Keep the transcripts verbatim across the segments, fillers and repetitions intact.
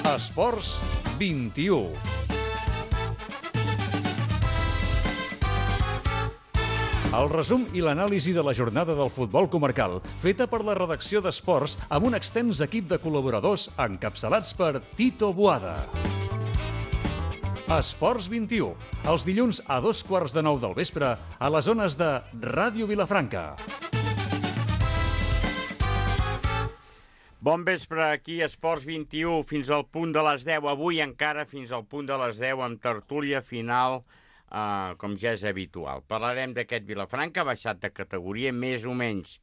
Esports vint-i-u. El resum i l'anàlisi de la jornada del futbol comarcal, feta per la redacció d'Esports amb un extens equip de col·laboradors encapçalats per Tito Boada. Esports vint-i-u, els dilluns a dos quarts de nou del vespre a les zones de Ràdio Vilafranca. Bon vespre, aquí Esports vint-i-u, fins al punt de les deu. Avui encara fins al punt de les deu amb tertúlia final, eh, com ja és habitual. Parlarem d'aquest Vilafranca, baixat de categoria, més o menys.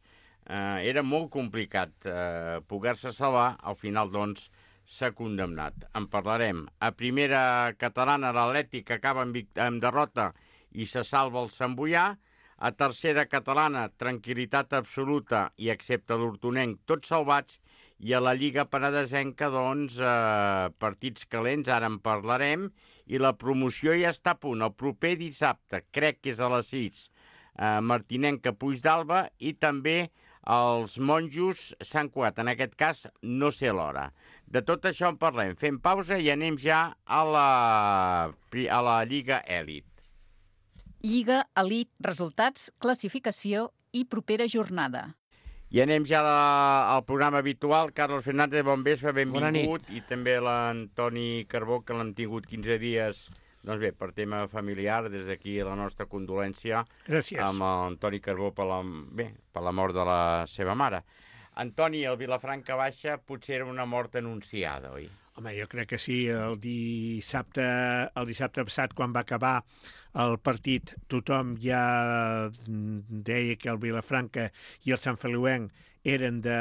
Eh, era molt complicat eh, poder-se salvar, al final, doncs, s'ha condemnat. En parlarem. A primera catalana, l'Atlètic acaba amb, amb derrota i se salva el Sant Boià. A tercera catalana, tranquil·litat absoluta i excepte l'Hortonenc, tots salvats. I a la Lliga Penedesenca, doncs, eh, partits calents, ara en parlarem, i la promoció ja està a punt. El proper dissabte, crec que és a les sis, eh, Martinenca Puigdàlber, i també els monjos Sant Cugat. En aquest cas, no sé l'hora. De tot això en parlem. Fem pausa i anem ja a la, a la Lliga Elit. Lliga Elit, resultats, classificació i propera jornada. I anem ja al programa habitual. Carlos Fernández, bon vespre, benvingut. I també l'Antoni Carbó, que l'hem tingut quinze dies, doncs bé, per tema familiar, des d'aquí la nostra condolència. Gràcies. Amb l'Antoni Carbó per la, bé, per la mort de la seva mare. Antoni, el Vilafranca baixa potser era una mort anunciada, oi? Home, jo crec que sí. El dissabte, el dissabte passat, quan va acabar el partit, tothom ja deia que el Vilafranca i el Sant Feliuenc eren, de,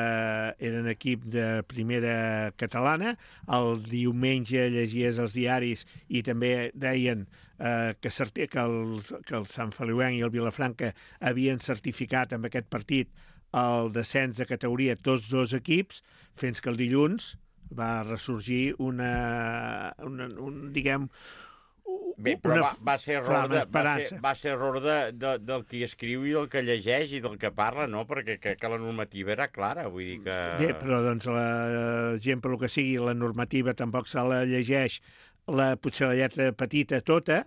eren equip de primera catalana. El diumenge llegies els diaris i també deien eh, que, certi, que, el, que el Sant Feliuenc i el Vilafranca havien certificat amb aquest partit el descens de categoria tots dos equips, fins que el dilluns va ressorgir una, una un, diguem, Bé, però va, va ser error, de, va ser, va ser error de, de, del qui escriu i del que llegeix i del que parla, no? Perquè crec que la normativa era clara, vull dir que... Bé, però doncs la gent, per lo que sigui, la normativa tampoc se la llegeix, la, potser la lletra petita tota,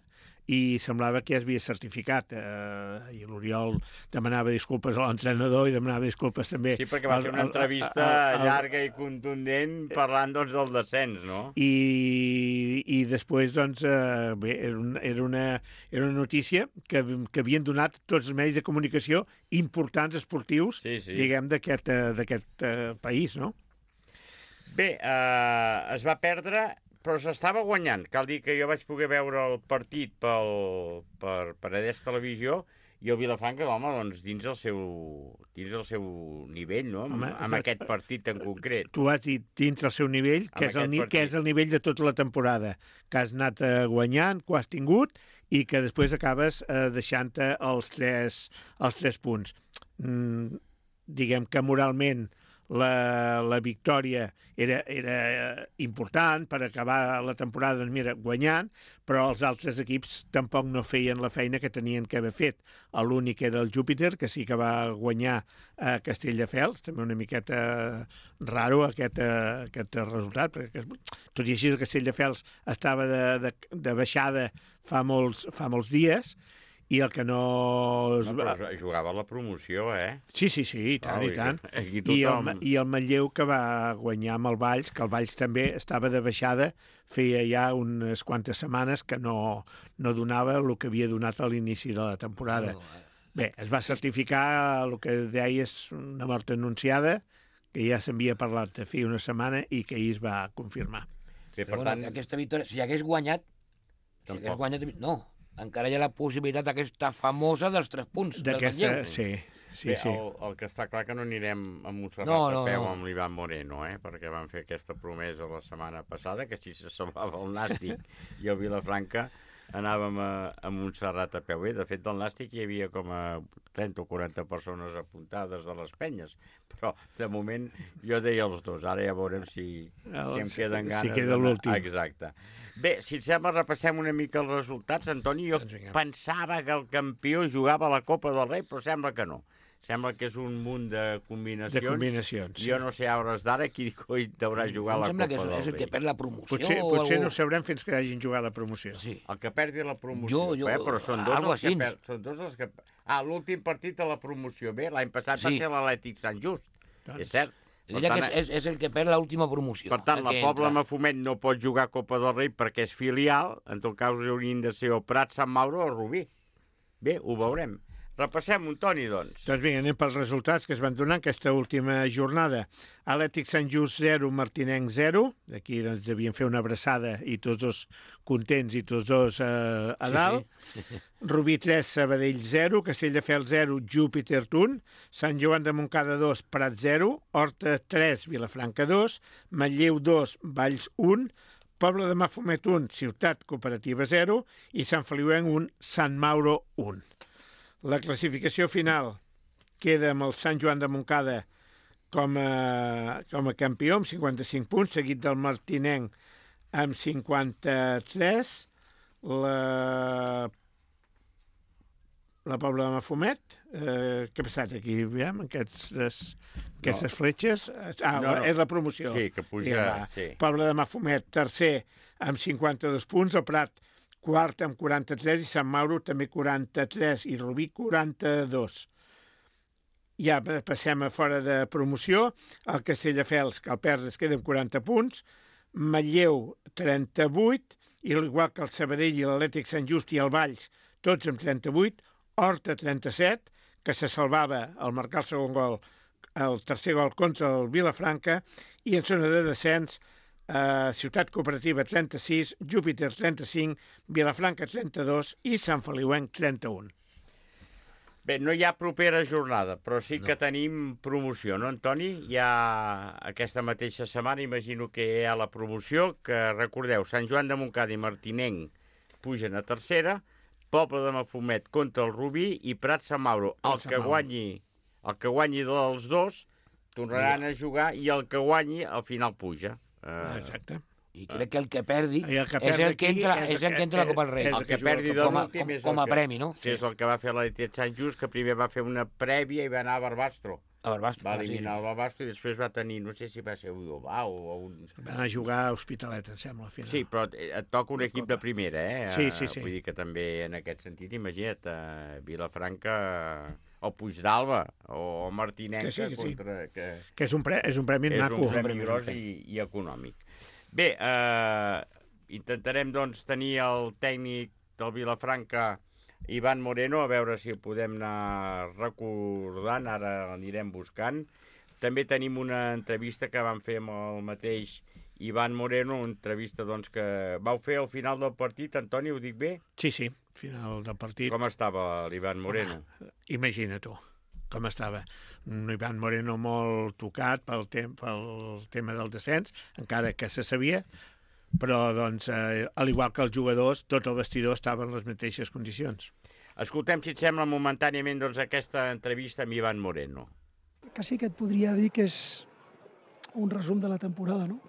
i semblava que ja es havia certificat. Eh, I l'Oriol demanava disculpes a l'entrenador i demanava disculpes també... Sí, perquè va ser una entrevista el, el, el, llarga i contundent parlant, doncs, del descens, no? I, i després, doncs, eh, bé, era, un, era, una, era una notícia que, que havien donat tots els medis de comunicació importants esportius, sí, sí. diguem, d'aquest eh, país, no? Bé, eh, es va perdre... Però s'estava guanyant. Cal dir que jo vaig poder veure el partit pel, per, per Edès Televisió i el Vilafranca, home, doncs, dins el seu, dins el seu nivell, no? Home, amb, amb aquest partit en concret. Tu has dit dins el seu nivell, que és el, que és el nivell de tota la temporada, que has anat eh, guanyant, que ho has tingut, i que després acabes eh, deixant-te els tres, els tres punts. Mm, diguem que moralment La, la victòria era, era important per acabar la temporada, doncs mira, guanyant, però els altres equips tampoc no feien la feina que tenien que haver fet. L'únic era el Júpiter, que sí que va guanyar a Castelldefels, també una miqueta raro aquest, aquest resultat, perquè tot i així el Castelldefels estava de, de, de baixada fa molts, fa molts dies, i el que no... no però jugava la promoció, eh? Sí, sí, sí, i tant, oh, i tant. I, I, el, I el Manlleu, que va guanyar amb el Valls, que el Valls també estava de baixada, feia ja unes quantes setmanes que no, no donava el que havia donat a l'inici de la temporada. Bé, es va certificar el que deia és una mort anunciada, que ja s'havia parlat de fer una setmana i que ahir es va confirmar. Bé, per tant... Bueno, aquesta victòria, si hagués guanyat, si hagués guanyat... No, encara hi ha la possibilitat aquesta famosa dels tres punts. D'aquesta, sí, sí, Bé, sí. El, el que està clar que no anirem a Montserrat no, no, a peu no. amb l'Ivan Moreno, eh? Perquè van fer aquesta promesa la setmana passada, que si se salvava el Nàstic i el Vilafranca anàvem a, a Montserrat a peu. Bé, de fet, del Nàstic hi havia com a trenta o quaranta persones apuntades de les penyes, però de moment jo deia els dos, ara ja veurem si, si em queden ganes. Si queda l'últim. Exacte. Bé, si et sembla, repassem una mica els resultats. Antoni, jo pensava que el campió jugava a la Copa del Rei, però sembla que no. Sembla que és un munt de combinacions. De combinacions, sí. Jo no sé, a hores d'ara, qui coi deurà jugar la Copa del Rei. Em sembla que és el que perd la promoció. Potser, potser no ho sabrem fins que hagin jugat la promoció. Sí. El que perdi la promoció. Jo, jo, eh? Però són dos, els així. que per... són dos els que... Ah, l'últim partit de la promoció. Bé, l'any passat Sí. va ser l'Atlètic Sant Just. Doncs... És cert. Per Ella tant, que és, és, és el que perd l'última promoció. Per tant, el la que Pobla entra. Mafumet no pot jugar a Copa del Rei perquè és filial. En tot cas, haurien de ser o Prat, Sant Mauro o Rubí. Bé, ho veurem. Repassem un Toni, doncs. Doncs vinga, anem pels resultats que es van donar aquesta última jornada. Atlètic Sant Just zero, Martinenc zero. Aquí doncs devien fer una abraçada i tots dos contents i tots dos eh, a dalt. Sí, sí. Rubí tres, Sabadell zero, Castelldefels zero, Júpiter un, Sant Joan de Montcada dos, Prat zero, Horta tres, Vilafranca dos, Manlleu dos, Valls un, Pobla de Mafumet un, Ciutat Cooperativa zero i Sant Feliuenc un, Sant Mauro un. La classificació final queda amb el Sant Joan de Montcada com a, com a campió amb cinquanta-cinc punts, seguit del Martinenc amb cinquanta-tres, la, la Pobla de Mafumet, eh, què ha passat aquí, aviam, aquestes, aquestes no. fletxes? Ah, no, no. És la promoció. Sí, que puja... Ja, sí. Pobla de Mafumet, tercer, amb cinquanta-dos punts, el Prat, quart amb quaranta-tres i Sant Mauro també quaranta-tres i Rubí quaranta-dos. Ja passem a fora de promoció, el Castelldefels, que el perd es queda amb quaranta punts, Manlleu trenta-vuit, i igual que el Sabadell i l'Atlètic Sant Just i el Valls, tots amb trenta-vuit, Horta trenta-set, que se salvava al marcar el segon gol, el tercer gol contra el Vilafranca, i en zona de descens, Uh, Ciutat Cooperativa trenta-sis, Júpiter trenta-cinc, Vilafranca trenta-dos i Sant Feliuenc trenta-un. Bé, no hi ha propera jornada, però sí que no. tenim promoció, no, Antoni? Hi ha aquesta mateixa setmana, imagino que hi ha la promoció, que recordeu, Sant Joan de Montcada i Martinenc pugen a tercera, Pobla de Mafumet contra el Rubí i Prat Sant Mauro. El que guanyi, el que guanyi dels dos tornaran a jugar i el que guanyi al final puja. Uh, Exacte. I crec que el que perdi el que és el que entra, és el que entra a la Copa del Rei. El que perdi de l'últim és com a premi, no? Sí, és el que va fer l'Atlètic Sant Just, que primer va fer una prèvia i va anar a Barbastro. A Barbastro. Va eliminar el Barbastro i després va tenir, no sé si va ser Udovà o un... Va anar a jugar a Hospitalet, em sembla, al final. Sí, però et toca un equip de primera, eh? Sí, sí, sí. Vull dir que també en aquest sentit, imagina't, a Vilafranca o Puigdàlber o Martinenc que sí, que contra... Sí. Que, que és, un pre, és un premi és maco. És un premi gros i, i econòmic. Bé, eh, intentarem doncs tenir el tècnic del Vilafranca, Ivan Moreno, a veure si podem anar recordant, ara anirem buscant. També tenim una entrevista que vam fer amb el mateix Ivan Moreno, una entrevista doncs, que vau fer al final del partit. Antoni, ho dic bé? Sí, sí, final del partit. Com estava l'Ivan Moreno? Home, imagina tu com estava. Un Ivan Moreno molt tocat pel, tem pel tema del descens, encara que se sabia, però, doncs, eh, al igual que els jugadors, tot el vestidor estava en les mateixes condicions. Escoltem, si et sembla, momentàniament doncs, aquesta entrevista amb Ivan Moreno. Quasi que et podria dir que és un resum de la temporada, no?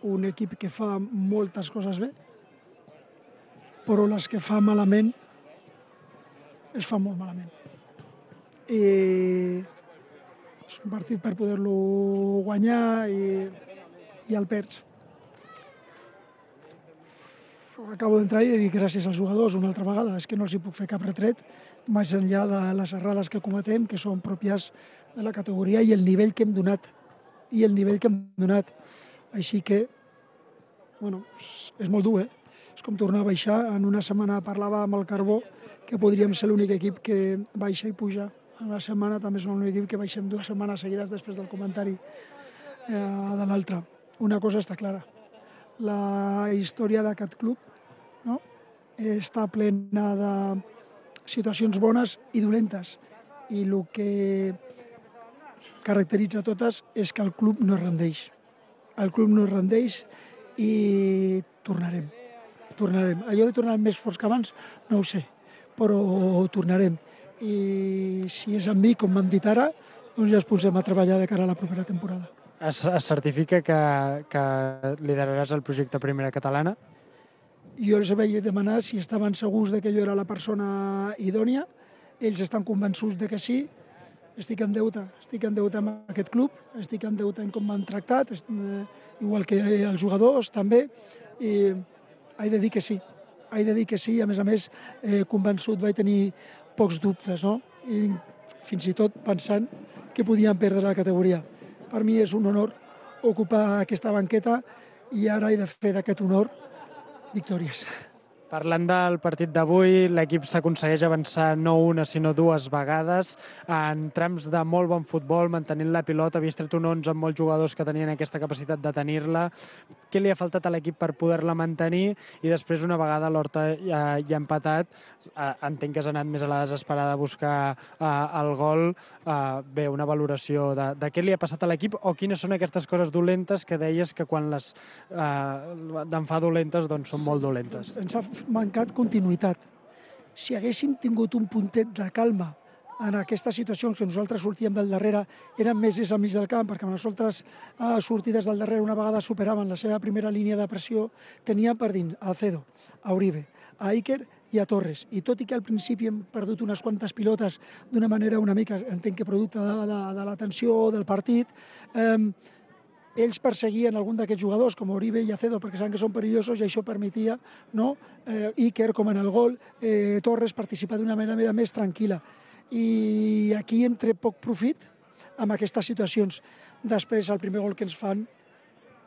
Un equip que fa moltes coses bé, però les que fa malament es fa molt malament. I és un partit per poder-lo guanyar i, i el perds. Acabo d'entrar i dic gràcies als jugadors una altra vegada. És que no els hi puc fer cap retret més enllà de les errades que cometem, que són pròpies de la categoria i el nivell que hem donat. I el nivell que hem donat. Així que, bueno, és molt dur, eh? És com tornar a baixar. En una setmana parlava amb el Carbó que podríem ser l'únic equip que baixa i puja. En una setmana també som l'únic equip que baixem dues setmanes seguides després del comentari eh, de l'altre. Una cosa està clara. La història d'aquest club, no? Està plena de situacions bones i dolentes. I el que caracteritza totes és que el club no es rendeix. El club no es rendeix i tornarem. Tornarem. Allò de tornar més forts que abans, no ho sé, però tornarem. I si és amb mi, com m'han dit ara, doncs ja ens posem a treballar de cara a la propera temporada. Es, es certifica que, que lideraràs el projecte Primera Catalana? Jo els vaig demanar si estaven segurs de que jo era la persona idònia ells estan convençuts de que sí, estic en deute, estic en deute amb aquest club, estic en deute en com m'han tractat, igual que els jugadors també, i he de dir que sí, he de dir que sí, a més a més, eh, convençut vaig tenir pocs dubtes, no? I fins i tot pensant que podíem perdre la categoria. Per mi és un honor ocupar aquesta banqueta i ara he de fer d'aquest honor victòries. Parlant del partit d'avui, l'equip s'aconsegueix avançar no una sinó dues vegades en trams de molt bon futbol, mantenint la pilota, havies tret un onze amb molts jugadors que tenien aquesta capacitat de tenir-la. Què li ha faltat a l'equip per poder-la mantenir? I després, una vegada l'Horta ja, ja ha empatat, eh, entenc que has anat més a la desesperada a buscar eh, el gol. Eh, bé, una valoració de, de què li ha passat a l'equip o quines són aquestes coses dolentes que deies que quan les eh, en fa dolentes doncs són molt dolentes. Ens ha mancat continuïtat. Si haguéssim tingut un puntet de calma en aquestes situacions que nosaltres sortíem del darrere, eren més és al mig del camp, perquè nosaltres eh, sortides del darrere una vegada superaven la seva primera línia de pressió, teníem per dins a Alcedo, a Uribe, a Iker i a Torres. I tot i que al principi hem perdut unes quantes pilotes d'una manera una mica, entenc que producte de, de, de la tensió del partit, eh, ells perseguien algun d'aquests jugadors, com Uribe i Acedo, perquè saben que són perillosos i això permetia, no? eh, Iker, com en el gol, eh, Torres participar d'una manera més tranquil·la. I aquí hem tret poc profit amb aquestes situacions. Després, el primer gol que ens fan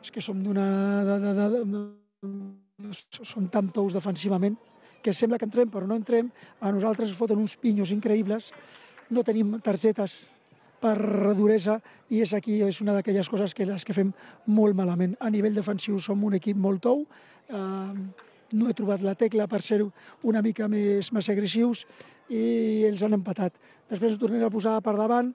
és que som d'una... De, de, de, de, som tan tous defensivament que sembla que entrem, però no entrem. A nosaltres ens foten uns pinyos increïbles, no tenim targetes per duresa, i és aquí és una d'aquelles coses que les que fem molt malament. A nivell defensiu som un equip molt tou, eh, no he trobat la tecla per ser una mica més, més agressius i els han empatat. Després ens tornem a posar per davant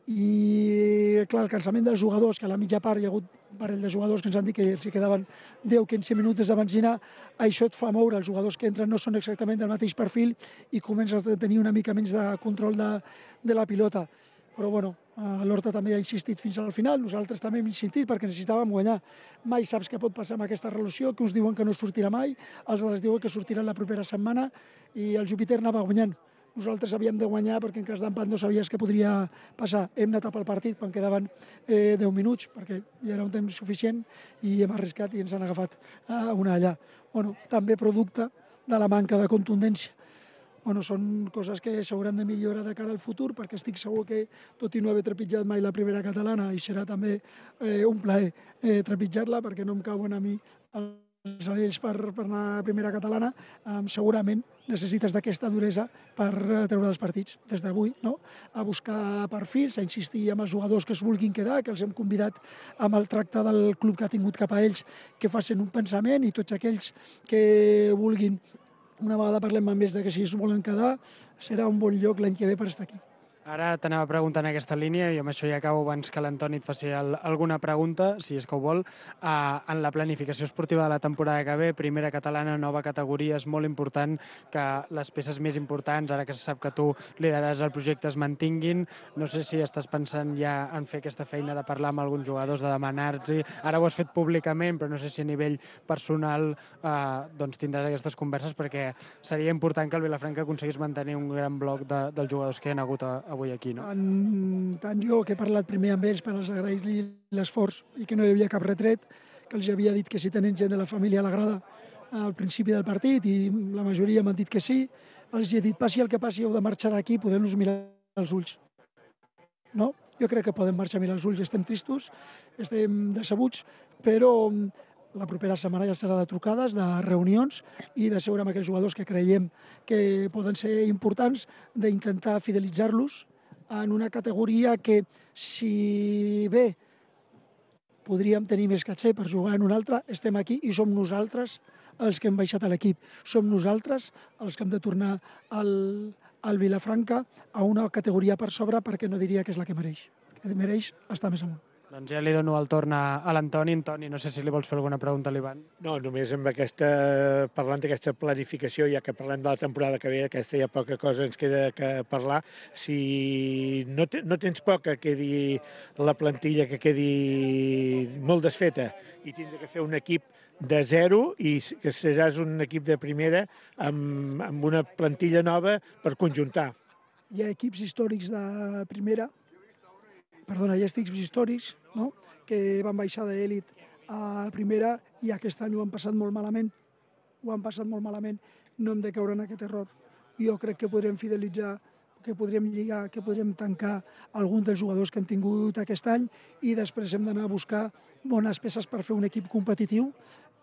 i, clar, el cansament dels jugadors, que a la mitja part hi ha hagut un parell de jugadors que ens han dit que s'hi quedaven deu a quinze minuts de benzina, això et fa moure, els jugadors que entren no són exactament del mateix perfil i comences a tenir una mica menys de control de, de la pilota. Però bueno, l'Horta també ha insistit fins al final, nosaltres també hem insistit perquè necessitàvem guanyar. Mai saps què pot passar amb aquesta relació, que uns diuen que no sortirà mai, els altres diuen que sortirà la propera setmana i el Júpiter anava guanyant. Nosaltres havíem de guanyar perquè en cas d'empat no sabies què podria passar. Hem anat pel partit quan quedaven eh, deu minuts perquè ja era un temps suficient i hem arriscat i ens han agafat eh, una allà. Bueno, també producte de la manca de contundència. Bueno, són coses que s'hauran de millorar de cara al futur, perquè estic segur que, tot i no haver trepitjat mai la primera catalana, i serà també eh, un plaer eh, trepitjar-la, perquè no em cauen a mi els anells per, per anar a primera catalana, eh, segurament necessites d'aquesta duresa per treure els partits des d'avui, no? A buscar perfils, a insistir amb els jugadors que es vulguin quedar, que els hem convidat amb el tracte del club que ha tingut cap a ells, que facin un pensament, i tots aquells que vulguin, una vegada parlem amb ells de que si es volen quedar, serà un bon lloc l'any que ve per estar aquí. Ara t'anava a preguntar en aquesta línia, i amb això ja acabo abans que l'Antoni et faci el, alguna pregunta, si és que ho vol. Uh, en la planificació esportiva de la temporada que ve, primera catalana, nova categoria, és molt important que les peces més importants, ara que se sap que tu lideraràs el projecte, es mantinguin. No sé si estàs pensant ja en fer aquesta feina de parlar amb alguns jugadors, de demanar-los. Ara ho has fet públicament, però no sé si a nivell personal uh, doncs tindràs aquestes converses, perquè seria important que el Vilafranca aconseguís mantenir un gran bloc de, dels jugadors que hi ha hagut a, avui aquí, no? Tant, tant jo, que he parlat primer amb ells per agrair-li l'esforç i que no hi havia cap retret, que els havia dit que si tenen gent de la família a la grada al principi del partit, i la majoria m'han dit que sí, els he dit, passi el que passi, heu de marxar d'aquí, podem-nos mirar els ulls. No? Jo crec que podem marxar a mirar els ulls, estem tristos, estem decebuts, però la propera setmana ja serà de trucades, de reunions i de seure amb aquells jugadors que creiem que poden ser importants, d'intentar fidelitzar-los en una categoria que, si bé podríem tenir més caché per jugar en una altra, estem aquí i som nosaltres els que hem baixat a l'equip. Som nosaltres els que hem de tornar al, al Vilafranca a una categoria per sobre, perquè no diria que és la que mereix. Que mereix estar més amunt. Doncs ja li dono el torn a, a l'Antoni. Antoni, no sé si li vols fer alguna pregunta a l'Ivan. No, només amb aquesta, parlant d'aquesta planificació, ja que parlem de la temporada que ve, aquesta hi ha poca cosa ens queda que parlar. Si no, te, no tens por que quedi la plantilla, que quedi molt desfeta, i tindrà que fer un equip de zero i que seràs un equip de primera amb, amb una plantilla nova per conjuntar. hi ha equips històrics de primera, perdona, hi ha equips històrics, no?, que van baixar d'elit a primera i aquest any ho han passat molt malament, ho han passat molt malament, no hem de caure en aquest error. Jo crec que podrem fidelitzar, que podrem lligar, que podrem tancar alguns dels jugadors que hem tingut aquest any i després hem d'anar a buscar bones peces per fer un equip competitiu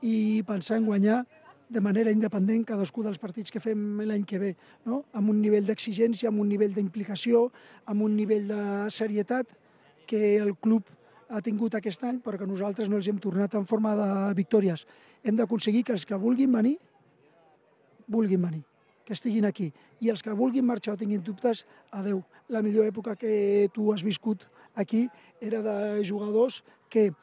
i pensar en guanyar de manera independent cadascú dels partits que fem l'any que ve, no?, amb un nivell d'exigència, amb un nivell d'implicació, amb un nivell de serietat que el club ha tingut aquest any, però que nosaltres no els hem tornat en forma de victòries. Hem d'aconseguir que els que vulguin venir, vulguin venir, que estiguin aquí. I els que vulguin marxar o tinguin dubtes, adeu. La millor època que tu has viscut aquí era de jugadors que,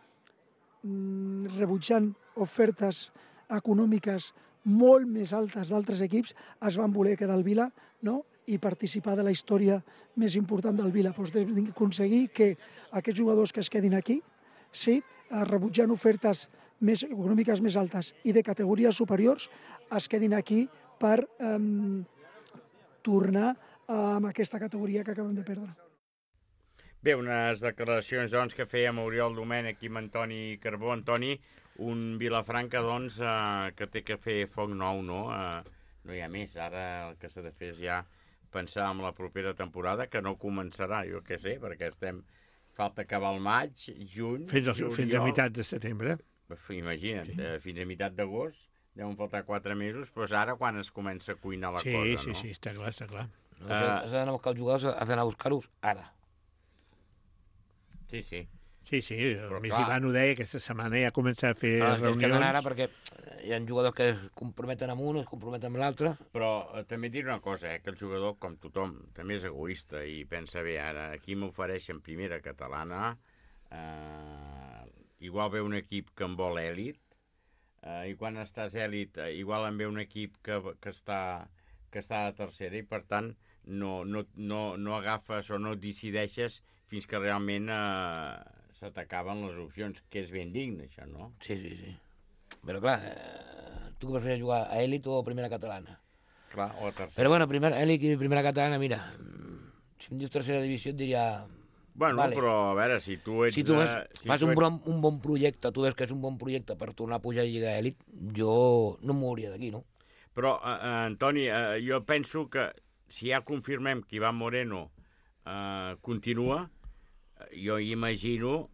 mm, rebutjant ofertes econòmiques molt més altes d'altres equips, es van voler quedar al Vila, no?, i participar de la història més important del Vila. Doncs hem d'aconseguir que aquests jugadors que es quedin aquí, sí, rebutjant ofertes més econòmiques més altes i de categories superiors, es quedin aquí per eh, tornar amb aquesta categoria que acabem de perdre. Bé, unes declaracions doncs, que fèiem Oriol Domènech i Antoni Carbó. Antoni, un Vilafranca doncs, eh, que té que fer foc nou, no? Eh, no hi ha més. Ara el que s'ha de fer és ja pensar en la propera temporada, que no començarà, jo què sé, perquè estem... Falta acabar el maig, juny, fins, juliol... Fins a meitat de setembre. Imagina't, sí. Fins a meitat d'agost, deuen faltar quatre mesos, però és ara quan es comença a cuinar la sí, cosa, sí, no? Sí, sí, està clar, està clar. No, uh, has d'anar a buscar els jugadors, has d'anar a buscar-los ara. Sí, sí. Sí, sí, el Més Ivan ho deia, aquesta setmana ja comença a fer ah, reunions. És que ara perquè hi ha jugadors que es comprometen amb un, es comprometen amb l'altre. Però eh, també dir una cosa, eh, que el jugador, com tothom, també és egoista i pensa, bé, ara aquí m'ofereixen primera catalana, eh, igual ve un equip que en vol èlit, eh, i quan estàs èlit, eh, igual en ve un equip que, que, està, que està a tercera i per tant no, no, no, no agafes o no decideixes fins que realment eh, se t'acaben les opcions, que és ben digne, això, no? Sí, sí, sí. Però clar, eh, tu que prefieres jugar a èlit o a primera catalana? Clar, o a tercera. Però bueno, primera, èlit i primera catalana, mira, si em dius tercera divisió et diria... Bueno, vale. Però a veure, si tu ets... Si tu ves, de, si fas tu un, ets... bon, un bon projecte, tu veus que és un bon projecte per tornar a pujar a Lliga Èlit, jo no em mouria d'aquí, no? Però, eh, Antoni, eh, jo penso que si ja confirmem que Iván Moreno eh, continua, jo imagino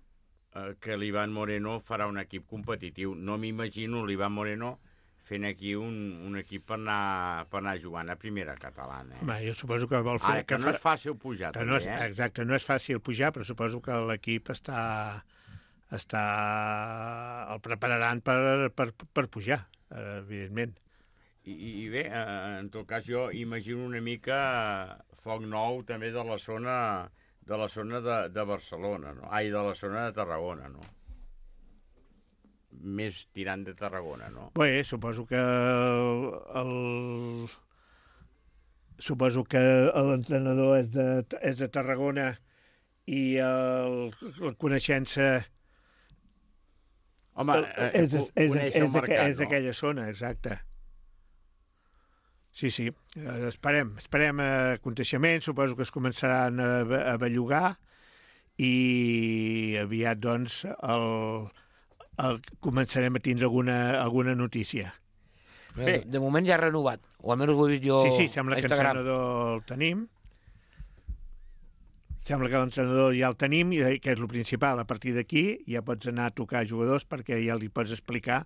eh, que l'Iván Moreno farà un equip competitiu. No m'imagino l'Iván Moreno fent aquí un, un equip per anar, per anar jugant a primera catalana. Eh? Home, jo suposo que vol fer... Ara, que, que no fa... és fàcil pujar, que també, no és, eh? Exacte, no és fàcil pujar, però suposo que l'equip està... està... el prepararan per, per, per pujar, evidentment. I, i bé, eh, en tot cas, jo imagino una mica foc nou també de la zona de la zona de, de Barcelona, no? Ai, de la zona de Tarragona, no? Més tirant de Tarragona, no? Bé, suposo que el, el suposo que l'entrenador és de, és de Tarragona i el, la coneixença Home, eh, és, és, és, conèixer el és, mercat, és d'aquella zona, exacte. Sí, sí, esperem, esperem aconteixements, suposo que es començaran a, a bellugar i aviat, doncs, el, el, començarem a tindre alguna, alguna notícia. Bé. De moment ja ha renovat, o almenys ho he vist jo sí, sí, sembla a que Instagram. l'entrenador el tenim. Sembla que l'entrenador ja el tenim, i que és el principal. A partir d'aquí ja pots anar a tocar jugadors perquè ja li pots explicar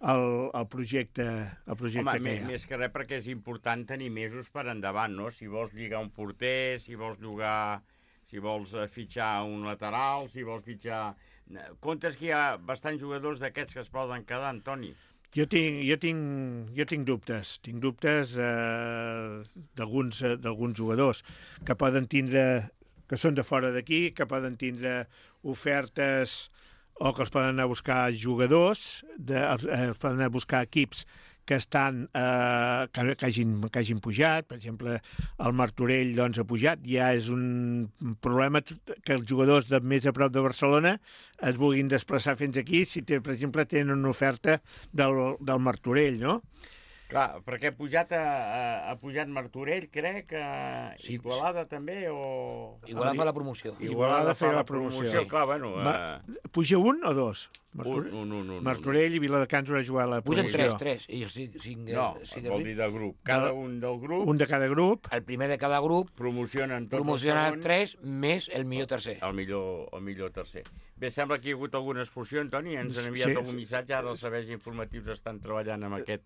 el, el projecte, el projecte Home, que hi ha. Més que res perquè és important tenir mesos per endavant, no? Si vols lligar un porter, si vols llogar, si vols fitxar un lateral, si vols fitxar... Comptes que hi ha bastants jugadors d'aquests que es poden quedar, Antoni? Jo tinc, jo tinc, jo tinc dubtes, tinc dubtes eh, d'alguns eh, d'alguns jugadors que poden tindre, que són de fora d'aquí, que poden tindre ofertes o que els poden anar a buscar jugadors, de, eh, els poden anar a buscar equips que estan eh, que, que, hagin, que hagin pujat. Per exemple, el Martorell doncs, ha pujat. Ja és un problema que els jugadors de més a prop de Barcelona es vulguin desplaçar fins aquí si, per exemple, tenen una oferta del, del Martorell, no? Clar, perquè ha pujat, a, a, ha pujat Martorell, crec, a Sí. Igualada també, o... Igualada fa la promoció. Igualada fa la promoció. Sí. Clar, bueno... Ma... Uh... Puja un o dos? Un, un, un, un. Martorell i Viladecans haurà jugat la Pugen promoció. tres, tres. I els cinc, cinc, No, cinc vol dir de grup. Cada De- un del grup Un de cada grup. el primer de cada grup promocionen tots promociona els segons, tres més el millor tercer. el millor, el millor tercer. Bé, sembla que hi ha hagut alguna expulsió, Antoni, ens han enviat Sí. algun missatge, ara els serveis informatius estan treballant en aquest,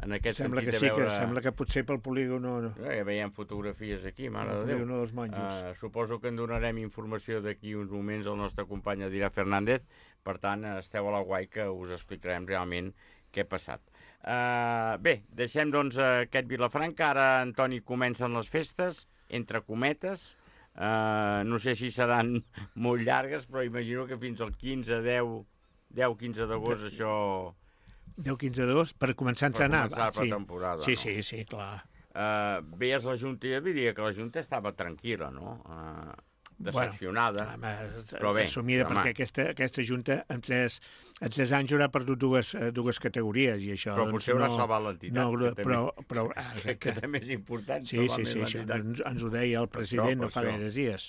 en aquest Sembla que sentit sí, de veure... que sembla que potser pel polígono... No. Eh, Ja veiem fotografies aquí, mare El de Déu. polígono dels monjos. Uh, suposo que en donarem informació d'aquí uns moments al nostre company Adrià Fernández. Per tant, esteu a la guai que us explicarem realment què ha passat. Uh, bé, deixem doncs aquest Vilafranca. Ara, Antoni, comencen les festes, entre cometes. Uh, no sé si seran molt llargues, però imagino que fins al quinze, deu, deu quinze d'agost això... deu quinze dos per començar a Per entrenar. començar la sí. pretemporada, Sí, no? sí, sí, clar. Uh, veies la Junta, jo diria que la Junta estava tranquil·la, no? Uh, decepcionada. Home, Però bé, assumida, home. perquè aquesta, aquesta Junta en tres, en tres anys haurà perdut dues, eh, dues categories i això... Però doncs, potser haurà no, salvat l'entitat, No, que també- però, però, ah, Que, exacte. que també és important. Sí, salvar sí, més sí, això l'entitat. ens, ens ho deia el Per president això, no fa per això. gaires dies.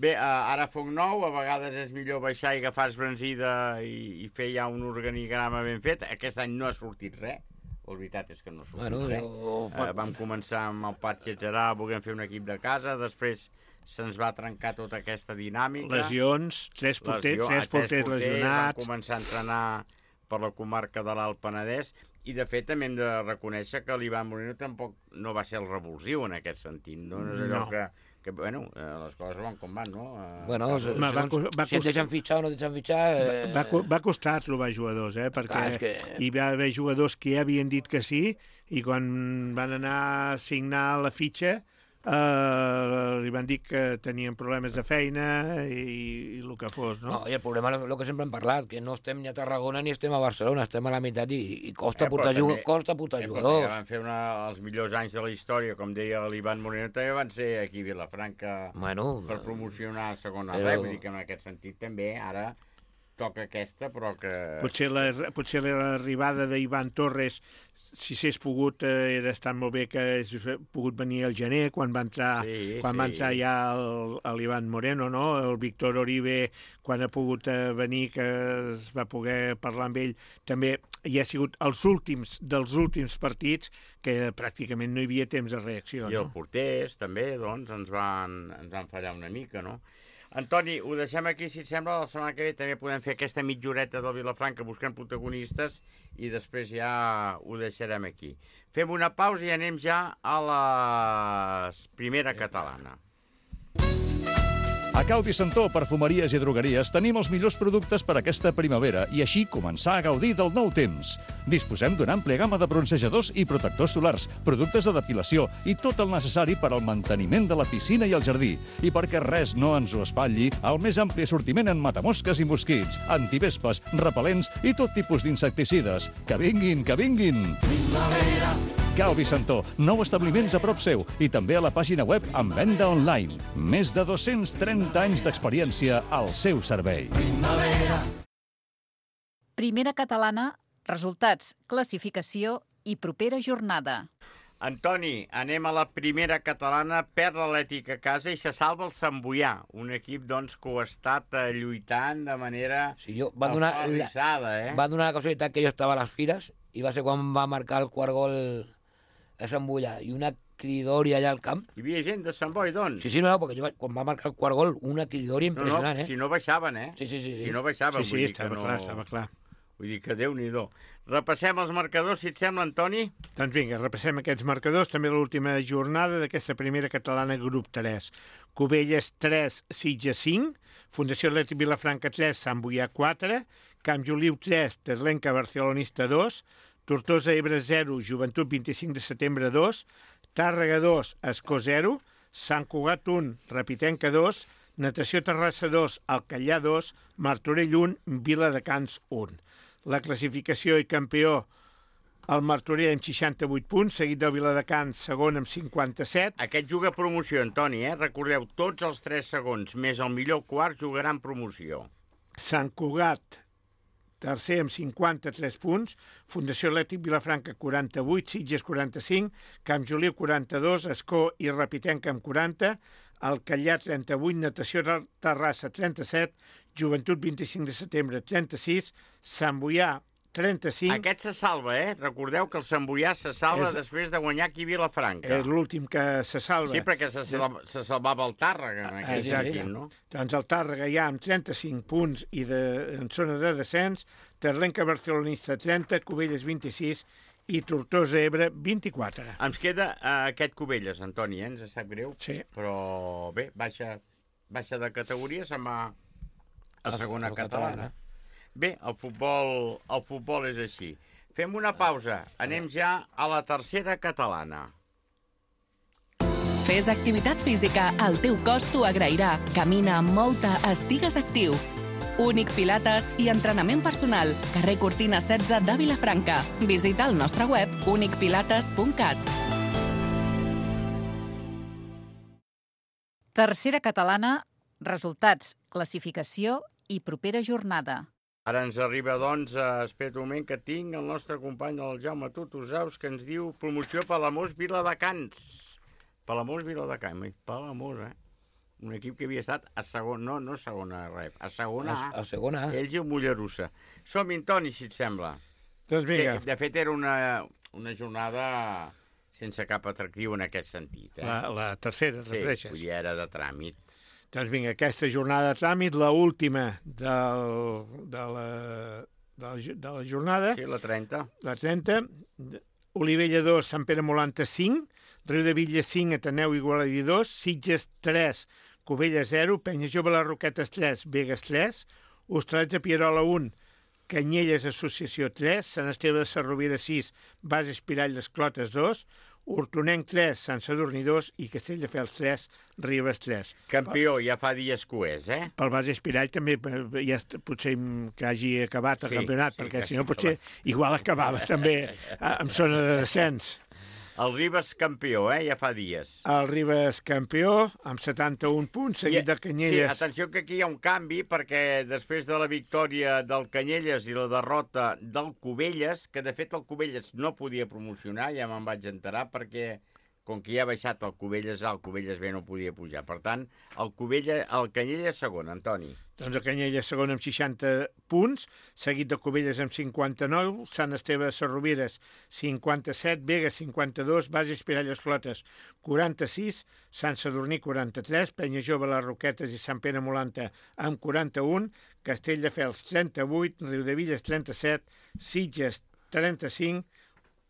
Bé, uh, ara foc nou, a vegades és millor baixar i agafar esbranzida i, i fer ja un organigrama ben fet. Aquest any no ha sortit res, la veritat és que no ha sortit Bueno, res. jo- Uh, vam començar amb el Parc Gerard, volent fer un equip de casa, després se'ns va trencar tota aquesta dinàmica. Lesions, tres porters, Lesió- tres a porters Vam lesionats. començar a entrenar per la comarca de l'Alt Penedès i, de fet, també hem de reconèixer que l'Ivan Moreno tampoc no va ser el revulsiu en aquest sentit. No, no és allò No. que, que, bueno, eh, les coses van com van, no? Eh, Bueno, casos- se- Va- va segons cos- va si et cost- deixen fitxar o no et deixen fitxar... Eh... Va, co- va costar trobar jugadors, eh? Perquè Clar, és que- hi va haver jugadors que ja havien dit que sí i quan van anar a signar la fitxa eh, li van dir que tenien problemes de feina i, i el que fos, no? No, i el problema és el que sempre hem parlat, que no estem ni a Tarragona ni estem a Barcelona, estem a la meitat i, i costa, Eh, però portar, també- també, costa portar Eh, però jugadors. també van fer una, els millors anys de la història, com deia l'Ivan Moreno, també van ser aquí a Vilafranca Bueno, per promocionar a segona però- però... Vull dir que en aquest sentit també ara toca aquesta, però que... Potser la- potser l'arribada d'Ivan Torres, si s'és pogut, eh, era estat molt bé que hagués pogut venir al gener, quan va entrar, Sí, quan sí. va entrar ja el- l'Ivan Moreno, no? El Víctor Oribe, quan ha pogut eh, venir, que es va poder parlar amb ell, també hi ha sigut els últims dels últims partits que pràcticament no hi havia temps de reacció. I No? els porters, també, doncs, ens van, ens van fallar una mica, no? Antoni, ho deixem aquí, si et sembla. La setmana que ve també podem fer aquesta mitjoreta del Vilafranca buscant protagonistes i després ja ho deixarem aquí. Fem una pausa i anem ja a la primera catalana. A Cal Vicentó, perfumeries i drogueries, tenim els millors productes per aquesta primavera i així començar a gaudir del nou temps. Disposem d'una àmplia gamma de bronzejadors i protectors solars, productes de depilació i tot el necessari per al manteniment de la piscina i el jardí. I perquè res no ens ho espatlli, el més ampli assortiment en matamosques i mosquits, antivespes, repel·lents i tot tipus d'insecticides. Que vinguin, que vinguin! Primavera! Cal Vicentó, nou establiments a prop seu i també a la pàgina web amb venda online. Més de dos-cents trenta anys d'experiència al seu servei. Primera catalana, resultats, classificació i propera jornada. Antoni, anem a la primera catalana, perd l'Atlètic a casa i se salva el Sant Boià, un equip doncs, que ho ha estat eh, lluitant de manera Sí, jo, va donar, la, aferrissada, eh? va donar la casualitat que jo estava a les fires i va ser quan va marcar el quart gol a Sant Boià i una cridòria allà al camp. Hi havia gent de Sant Boi, doncs? Sí, sí, no, perquè jo, vaig- quan va marcar el quart gol, una cridòria no, no, impressionant, eh? si no baixaven, eh? Sí, sí, sí, sí. Si no baixaven, Sí, vull sí, dir que estava no... clar, estava clar. Vull dir que Déu-n'hi-do. Repassem els marcadors, si et sembla, Antoni? Doncs vinga, repassem aquests marcadors. També l'última jornada d'aquesta primera catalana grup tres. Cubelles tres, Sitges cinc, Fundació Atlètic Vilafranca tres, Sant Boià quatre, Camp Joliu tres, Terlenca Barcelonista dos, Tortosa Ebre zero, Joventut vint-i-cinc de setembre dos, Tàrrega dos, Escó zero, Sant Cugat un, Rapitenca dos, Natació Terrassa dos, Alcallà dos, Martorell un, Viladecans un. La classificació i campió el Martorell amb seixanta-vuit punts, seguit del Viladecans segon amb cinquanta-set. Aquest juga promoció, Antoni, eh? Recordeu, tots els tres segons, més el millor quart, jugaran promoció. Sant Cugat tercer amb cinquanta-tres punts, Fundació Atlètic Vilafranca quaranta-vuit, Sitges quaranta-cinc, Camp Joliu quaranta-dos, Escó i Repitenca amb quaranta, Alcallà trenta-vuit, Natació Terrassa trenta-set, Joventut vint-i-cinc de setembre trenta-sis, Sant Boià trenta-cinc... Aquest se salva, eh? Recordeu que el Sant Boià se salva és... després de guanyar aquí Vilafranca. És l'últim que se salva. Sí, perquè se, salva, se salvava el Tàrrega en aquell Exacte. sentit, no? Doncs el Tàrrega ja amb trenta-cinc punts i de, en zona de descens, Terlenca Barcelonista trenta, Cubelles vint-i-sis i Tortosa Ebre vint-i-quatre. Ens queda uh, aquest Cubelles, Antoni, eh? Ens sap greu. Sí. Però bé, baixa, baixa de categoria, se'n va a segona a catalana. Bé, el futbol, el futbol és així. Fem una pausa. Anem ja a la tercera catalana. Fes activitat física, el teu cos t'ho agrairà. Camina, molta, estigues actiu. Únic Pilates i entrenament personal. Carrer Cortina setze de Vilafranca. Visita el nostre web únic pilates punt cat. Tercera catalana, resultats, classificació i propera jornada. Ara ens arriba, doncs, a espera un moment que tinc el nostre company, el Jaume Tutusaus, que ens diu promoció Palamós Viladecans. Palamós Viladecans, Palamós, eh? Un equip que havia estat a segona, no, no segona rep, a segona A. A segona A. Ells i el Mollerussa. Som-hi, Toni, si et sembla. Doncs vinga. Que, de fet, era una, una jornada sense cap atractiu en aquest sentit. Eh? La, la tercera, sí, refereixes? Sí, era de tràmit. Doncs vinga, aquesta jornada de tràmit, l'última del, de, la, de, la, de la jornada. Sí, la trenta. La trenta. Olivella dos, Sant Pere Molanta cinc, Riu de Villa cinc, Ateneu Igualadi dos, Sitges tres, Cubella zero, Penya Jove Les Roquetes tres, Begues tres, Hostalet de Pierola un, Canyelles Associació tres, Sant Esteve de Sarrovira sis, Base Espirall d'Esclotes dos, Hortonenc tres, Sant Sadurní dos i Castelldefels tres, Ribes tres. Campió, ja fa dies que ho és, eh? Pel Base Espirall també ja potser que hagi acabat el sí, campionat, sí, perquè si no potser igual acabava també en zona de descens. El Ribes campió, eh? Ja fa dies. El Ribes campió, amb setanta-un punts, seguit del Canyelles. Sí, atenció que aquí hi ha un canvi, perquè després de la victòria del Canyelles i la derrota del Cubelles, que de fet el Cubelles no podia promocionar, ja me'n vaig enterar, perquè com que ja ha baixat el Cubelles A, el Cubelles B no podia pujar. Per tant, el, Cubelles, el Canyelles segon, Antoni. Doncs el Canyelles segon amb seixanta punts, seguit de Cubelles amb cinquanta-nou, Sant Esteve de Sarrovires cinquanta-set, Begues cinquanta-dos, Base Espirall Esclotes quaranta-sis, Sant Sadurní quaranta-tres, Penya Jove Les Roquetes i Sant Pere Molanta amb quaranta-un, Castelldefels trenta-vuit, Riudevilles trenta-set, Sitges trenta-cinc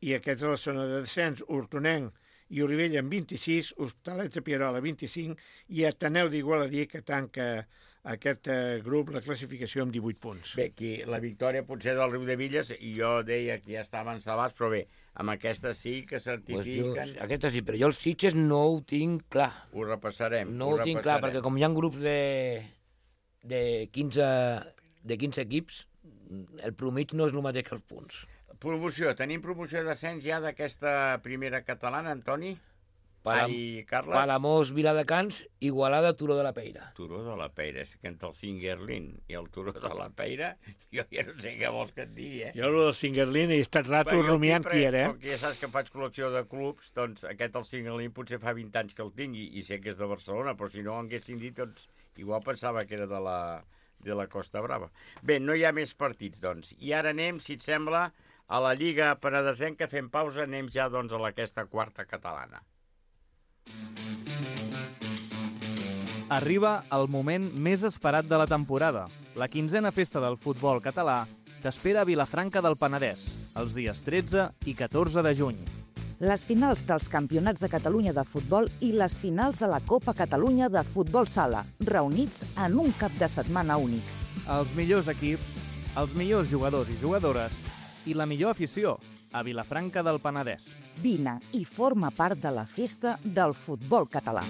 i aquesta és la zona de descens, Hortonenc i Olivella amb vint-i-sis, Hostalet de Pierola vint-i-cinc i Ateneu d'Igualadí que tanca aquest eh, grup la classificació amb divuit punts. Bé, aquí la victòria potser del Riudevilles, i jo deia que ja estaven salvats, però bé, amb aquesta sí que certifiquen... Pues jo, aquesta sí, però jo els Sitges no ho tinc clar. Ho repassarem. No ho, ho tinc clar, perquè com hi ha grups de, de, quinze, de quinze equips, el promig no és el mateix que els punts. Promoció. Tenim promoció d'ascens ja d'aquesta primera catalana, Antoni? Palam, Ai, Carles? Palamós, Viladecans, Igualada, Turó de la Peira. Turó de la Peira, és que entre el Singerlin i el Turó de la Peira, jo ja no sé què vols que et digui, eh? Jo, el del Singerlin, he estat rato bueno, rumiant qui era, eh? Com que ja saps que faig col·lecció de clubs, doncs aquest el Singerlin potser fa vint anys que el tingui, i sé que és de Barcelona, però si no ho haguessin dit, doncs igual pensava que era de la, de la Costa Brava. Bé, no hi ha més partits, doncs. I ara anem, si et sembla, a la Lliga Penedesenca, fem pausa, anem ja doncs, a aquesta quarta catalana. Arriba el moment més esperat de la temporada. La quinzena festa del futbol català t'espera a Vilafranca del Penedès, els dies tretze i catorze de juny. Les finals dels Campionats de Catalunya de futbol i les finals de la Copa Catalunya de futbol sala, reunits en un cap de setmana únic. Els millors equips, els millors jugadors i jugadores i la millor afició a Vilafranca del Penedès. Vine i forma part de la festa del futbol català.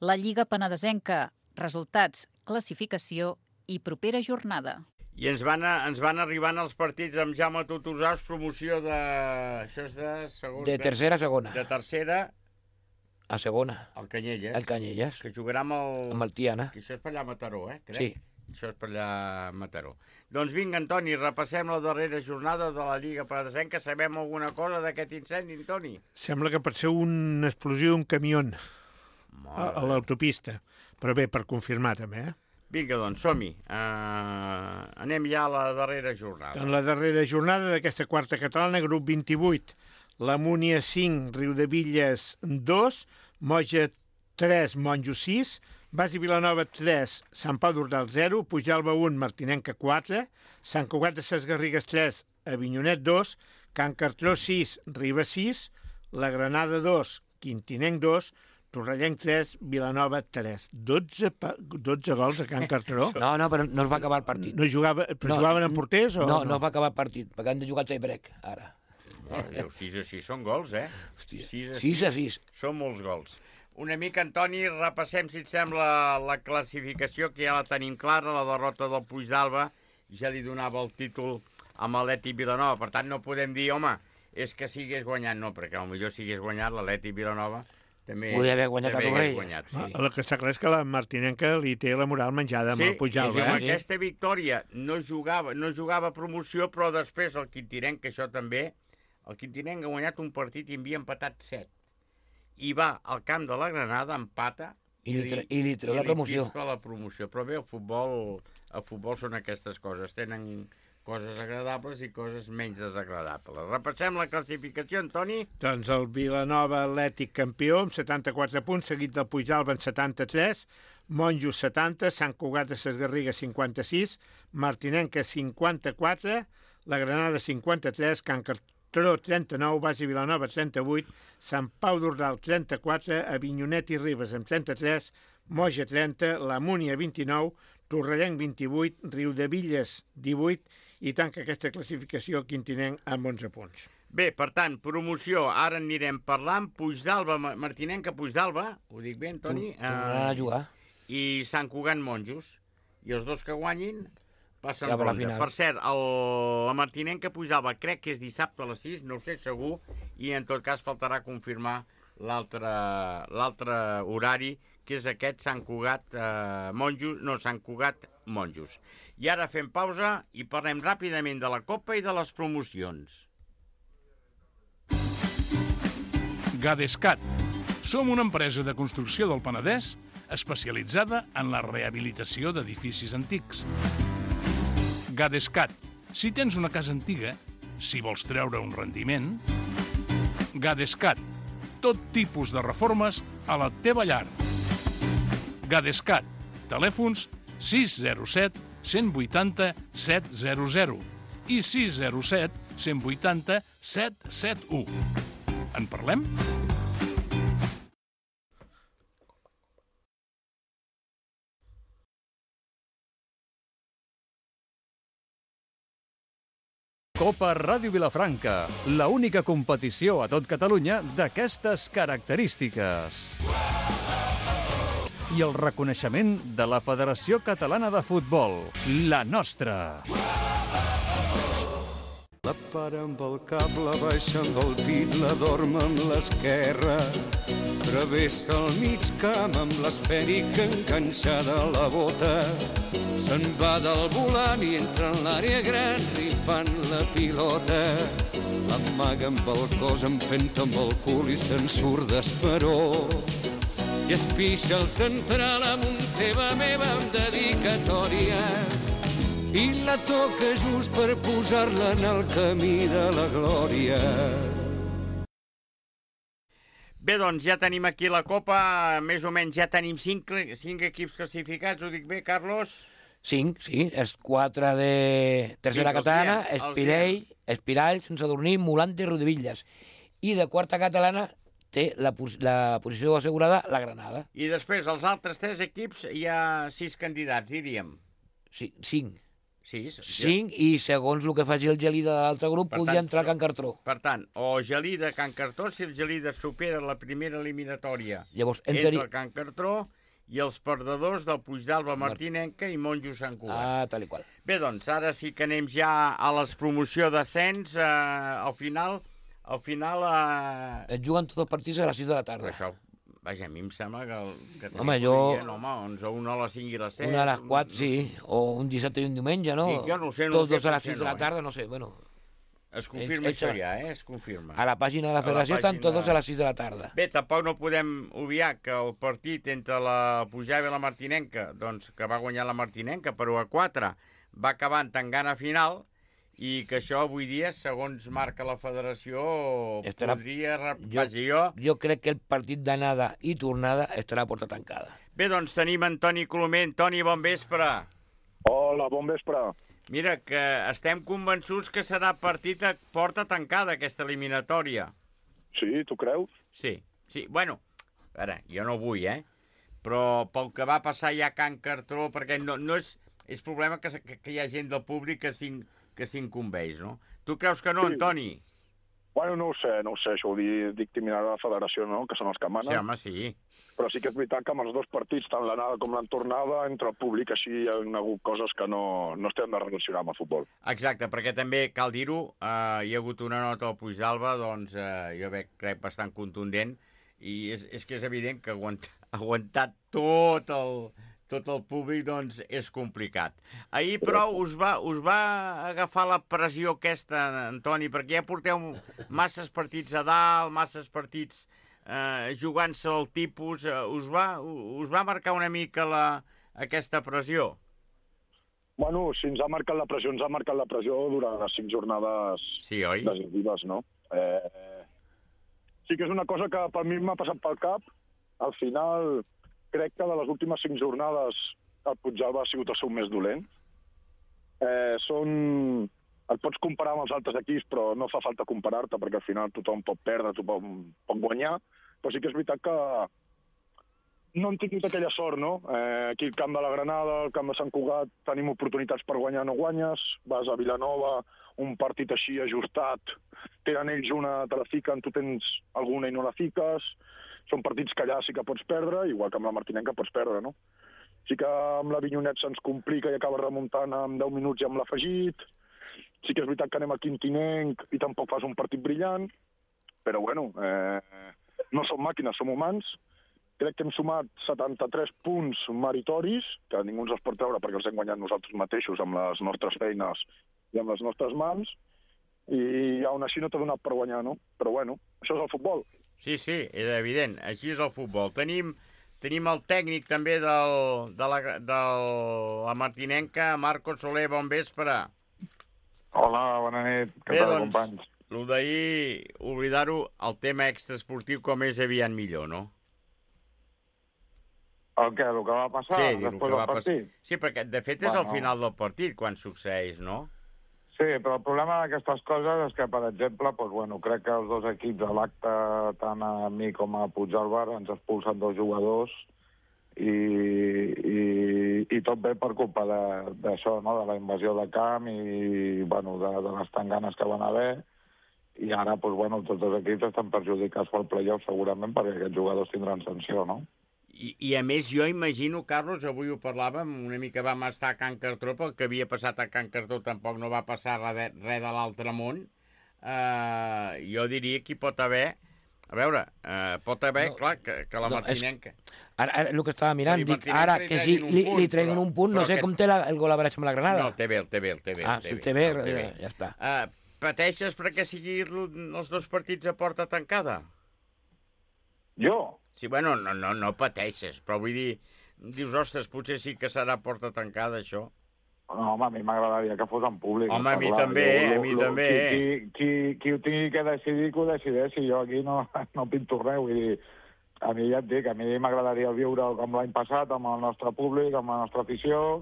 La Lliga Penedesenca, resultats, classificació i propera jornada. I ens van, a, ens van arribant els partits amb Jaume Tutusaus, promoció de... Això és de segona... De tercera a segona. De tercera A segona. El Canyelles. El Canyelles. Que jugarà amb el... Amb el Tiana. Que això és per allà a Mataró, eh? Crec. Sí. Això és per allà a Mataró. Doncs vinga, Antoni, repassem la darrera jornada de la Lliga Paladesenca. Sabem alguna cosa d'aquest incendi, Antoni? Sembla que pot ser una explosió d'un camió a, a l'autopista. Però bé, per confirmar també, eh? Vinga, doncs, som-hi. Uh, anem ja a la darrera jornada. En la darrera jornada d'aquesta quarta catalana, grup vint-i-vuit, la Múnia cinc, Riudevilles dos, Moja tres, Monjo sis, Basi Vilanova tres, Sant Pau d'Ordal zero, Pujalba un, Martinenca quatre, Sant Cugat de Ses Garrigues tres, Avinyonet dos, Can Cartró sis, Ribes sis, la Granada dos, Quintinenc dos, Torrellenc tres, Vilanova tres. dotze, dotze gols a Can Cartró. No, no, però no es va acabar el partit. No jugava, però no, jugaven en porters o no? No, no es va acabar el partit, perquè han de jugar el tie-break, ara. Oh, sis a sis són gols, eh? Hòstia, sis a sis. Són molts gols. Una mica, Antoni, repassem, si et sembla, la classificació, que ja la tenim clara, la derrota del Puigdàlber, ja li donava el títol a l'Atlètic Vilanova. Per tant, no podem dir, home, és que sigués guanyat, no, perquè potser si hagués guanyat l'Atlètic Vilanova també podria haver guanyat a Torrelles. Guanyat, sí. El que està clar és que la Martinenca li té la moral menjada amb sí, el Puigdàlber. Sí, amb eh? aquesta victòria no jugava, no jugava promoció, però després el Quintinenc, que això també, el Quintinenc ha guanyat un partit i havia empatat set. I va al camp de la Granada, empata, i li, i li treu la promoció. I li la promoció. Però bé, el futbol, el futbol són aquestes coses, tenen coses agradables i coses menys desagradables. Repassem la classificació, Antoni. Doncs el Vilanova Atlètic campió amb setanta-quatre punts, seguit del Puigdàlber amb setanta-tres, Monjo setanta, Sant Cugat de Ses Garrigues cinquanta-sis, Martinenca cinquanta-quatre, la Granada cinquanta-tres, Can Cartró trenta-nou, Basi Vilanova trenta-vuit, Sant Pau d'Ordal trenta-quatre, Avinyonet i Ribes amb trenta-tres, Moja trenta, la Múnia vint-i-nou, Torrellenc vint-i-vuit, Riudevilles divuit, i tanca aquesta classificació Quintinenc amb onze punts. Bé, per tant, promoció, ara en anirem parlant. Puigdàlber, Martinenca Puigdàlber, ho dic bé, Antoni? Tornaran a jugar. I Sant Cugat Monjos. I els dos que guanyin passen ja ronda. Per cert, el, la Martinenca Puigdàlber crec que és dissabte a les sis, no ho sé segur, i en tot cas faltarà confirmar l'altre horari, que és aquest Sant Cugat eh, Monjos, no, Sant Cugat Monjos. I ara fem pausa i parlem ràpidament de la Copa i de les promocions. Gadescat. Som una empresa de construcció del Penedès especialitzada en la rehabilitació d'edificis antics. Gadescat. Si tens una casa antiga, si vols treure un rendiment... Gadescat. Tot tipus de reformes a la teva llar. Gadescat. Telèfons sis zero set, cent vuitanta, set zero zero i sis zero set, cent vuitanta, set set u. En parlem? Copa Ràdio Vilafranca, la única competició a tot Catalunya d'aquestes característiques. I el reconeixement de la Federació Catalana de Futbol, la nostra. La para amb el cap, la baixa amb el pit, la dorm amb l'esquerra. Travessa el mig camp amb l'esfèrica enganxada a la bota. Se'n va del volant i entra en l'àrea gran rifant la pilota. L'amaga amb el cos, empenta amb el cul i se'n surt d'esperó. I es pixa el central amb un teva meva amb dedicatòria i la toca just per posar-la en el camí de la glòria. Bé, doncs ja tenim aquí la Copa, més o menys ja tenim cinc, cinc equips classificats, ho dic bé, Carlos? Cinc, sí, és quatre de tercera sí, catalana, Espirell, Espirall, Sense Dormir, Molante i Riudevilles. I de quarta catalana té la, la posició assegurada la Granada. I després, els altres tres equips, hi ha sis candidats, diríem. Sí, cinc. Sis. Cinc, i segons el que faci el Gelida de l'altre grup, per podria tant, entrar a Can Cartró. Per tant, o Gelida Can Cartró, si el Gelida supera la primera eliminatòria, llavors entra a Can Cartró, i els perdedors del Puigdàlber, Martinenca i Monjo Sant Cugat. Ah, tal i qual. Bé, doncs, ara sí que anem ja a les promoció d'ascens. Eh, al final... Al final... Eh... Et juguen tots els partits a les sis de la tarda. Per això, Vaja, a mi em sembla que... que home, jo... Dient, home, onze, una a les cinc i les set... Una a les quatre, sí, o un dissabte i un diumenge, no? Jo no sé, no Tots sé, dos a les sis de la no, tarda, no sé, bueno... Es confirma ells, això ja, eh? Es confirma. A la pàgina de la federació estan tots dos a les sis de la tarda. Bé, tampoc no podem obviar que el partit entre la Pujava i la Martinenca, doncs que va guanyar la Martinenca per u a quatre, va acabar en tangana final, i que això avui dia, segons marca la federació, estarà... podria... Jo, jo... jo crec que el partit d'anada i tornada estarà a porta tancada. Bé, doncs tenim Antoni Colomer. Antoni, bon vespre. Hola, bon vespre. Mira, que estem convençuts que serà partit a porta tancada, aquesta eliminatòria. Sí, tu creus? Sí, sí. Bueno, ara, jo no vull, eh? Però pel que va passar ja a Can Cartró, perquè no, no és, és problema que, que, que hi ha gent del públic que s'in, que s'incumbeix, no? Tu creus que no, sí. Antoni? Bueno, no ho sé, no ho sé, això ho dictaminarà la federació, no?, que són els que manen. Sí, home, sí. Però sí que és veritat que amb els dos partits, tant l'anada com l'entornada, entre el públic així hi ha hagut coses que no, no estem de relacionar amb el futbol. Exacte, perquè també, cal dir-ho, eh, hi ha hagut una nota al Puig d'Alba, doncs eh, jo veig, crec, bastant contundent, i és, és que és evident que aguantar, aguantar tot el... tot el públic, doncs, és complicat. Ahir, però, us va, us va agafar la pressió aquesta, Antoni, perquè ja porteu masses partits a dalt, masses partits eh, jugant-se el tipus. Eh, us, va, us va marcar una mica la, aquesta pressió? Bueno, si ens ha marcat la pressió, ens ha marcat la pressió durant les cinc jornades sí, oi? decisives, no? Eh, sí que és una cosa que per mi m'ha passat pel cap. Al final... crec que de les últimes cinc jornades el Puigdàlber ha sigut el seu més dolent. Eh, són... Et pots comparar amb els altres equips, però no fa falta comparar-te, perquè al final tothom pot perdre, tothom pot guanyar. Però sí que és veritat que no hem tingut aquella sort, no? Eh, aquí al camp de la Granada, al camp de Sant Cugat, tenim oportunitats per guanyar, no guanyes. Vas a Vilanova, un partit així ajustat, tenen ells una, te la fiquen, tu tens alguna i no la fiques. Són partits que allà sí que pots perdre, igual que amb la Martinenca pots perdre, no? Sí que amb la Vinyonet se'ns complica i acaba remuntant en deu minuts i amb l'afegit. Sí que és veritat que anem a Quintinenc i tampoc fas un partit brillant, però bueno, eh, no som màquines, som humans. Crec que hem sumat setanta-tres punts meritoris, que ningú ens els pot treure perquè els hem guanyat nosaltres mateixos amb les nostres feines i amb les nostres mans, i aún així no t'ha donat per guanyar, no? Però bueno, això és el futbol. Sí, sí, és evident. Així és el futbol. Tenim, tenim el tècnic també del, de, la, de la Martinenca, Marco Soler, bon vespre. Hola, bona nit. Què tal, doncs, companys? El d'ahir, oblidar-ho, el tema extraesportiu com és aviat millor, no? El què? El que va passar sí, després del partit? Pas... Sí, perquè de fet és bueno. Al final del partit quan succeeix, no? Sí, però el problema d'aquestes coses és que, per exemple, doncs, bueno, crec que els dos equips a l'acte, tant a mi com a Puigdàlber, ens expulsen dos jugadors i, i, i tot ve per culpa d'això, no? De la invasió de camp i bueno, de, de les tanganes que van haver. I ara doncs, bueno, tots els equips estan perjudicats pel play-off segurament perquè aquests jugadors tindran sanció, no? I, I a més jo imagino, Carlos, avui ho parlàvem, una mica vam estar a Can Cartró, pel que havia passat a Can Cartró tampoc no va passar res de, res de l'altre món. Uh, jo diria que hi pot haver, a veure, uh, pot haver, no, clar, que, que la no, Martinenca... És... Ara, ara el que estava mirant, dic, ara que sí, li, li treguin un punt, no sé com té la, el gol a veure amb la Granada. No, té bé, el té bé, el té bé. Ah, el té bé, ja està. Uh, pateixes perquè sigui els dos partits a porta tancada? Jo? Sí, bueno, no, no, no pateixes, però vull dir, dius, ostres, potser sí que serà porta tancada, això. No, home, a mi m'agradaria que fos en públic. Home, a mi clar, també, jo, a mi lo, també. Qui, qui, qui, qui ho tingui que decidir, que ho decideixi. Jo aquí no, no pinto res, vull dir, a mi ja et dic, a mi m'agradaria viure com l'any passat, amb el nostre públic, amb la nostra afició,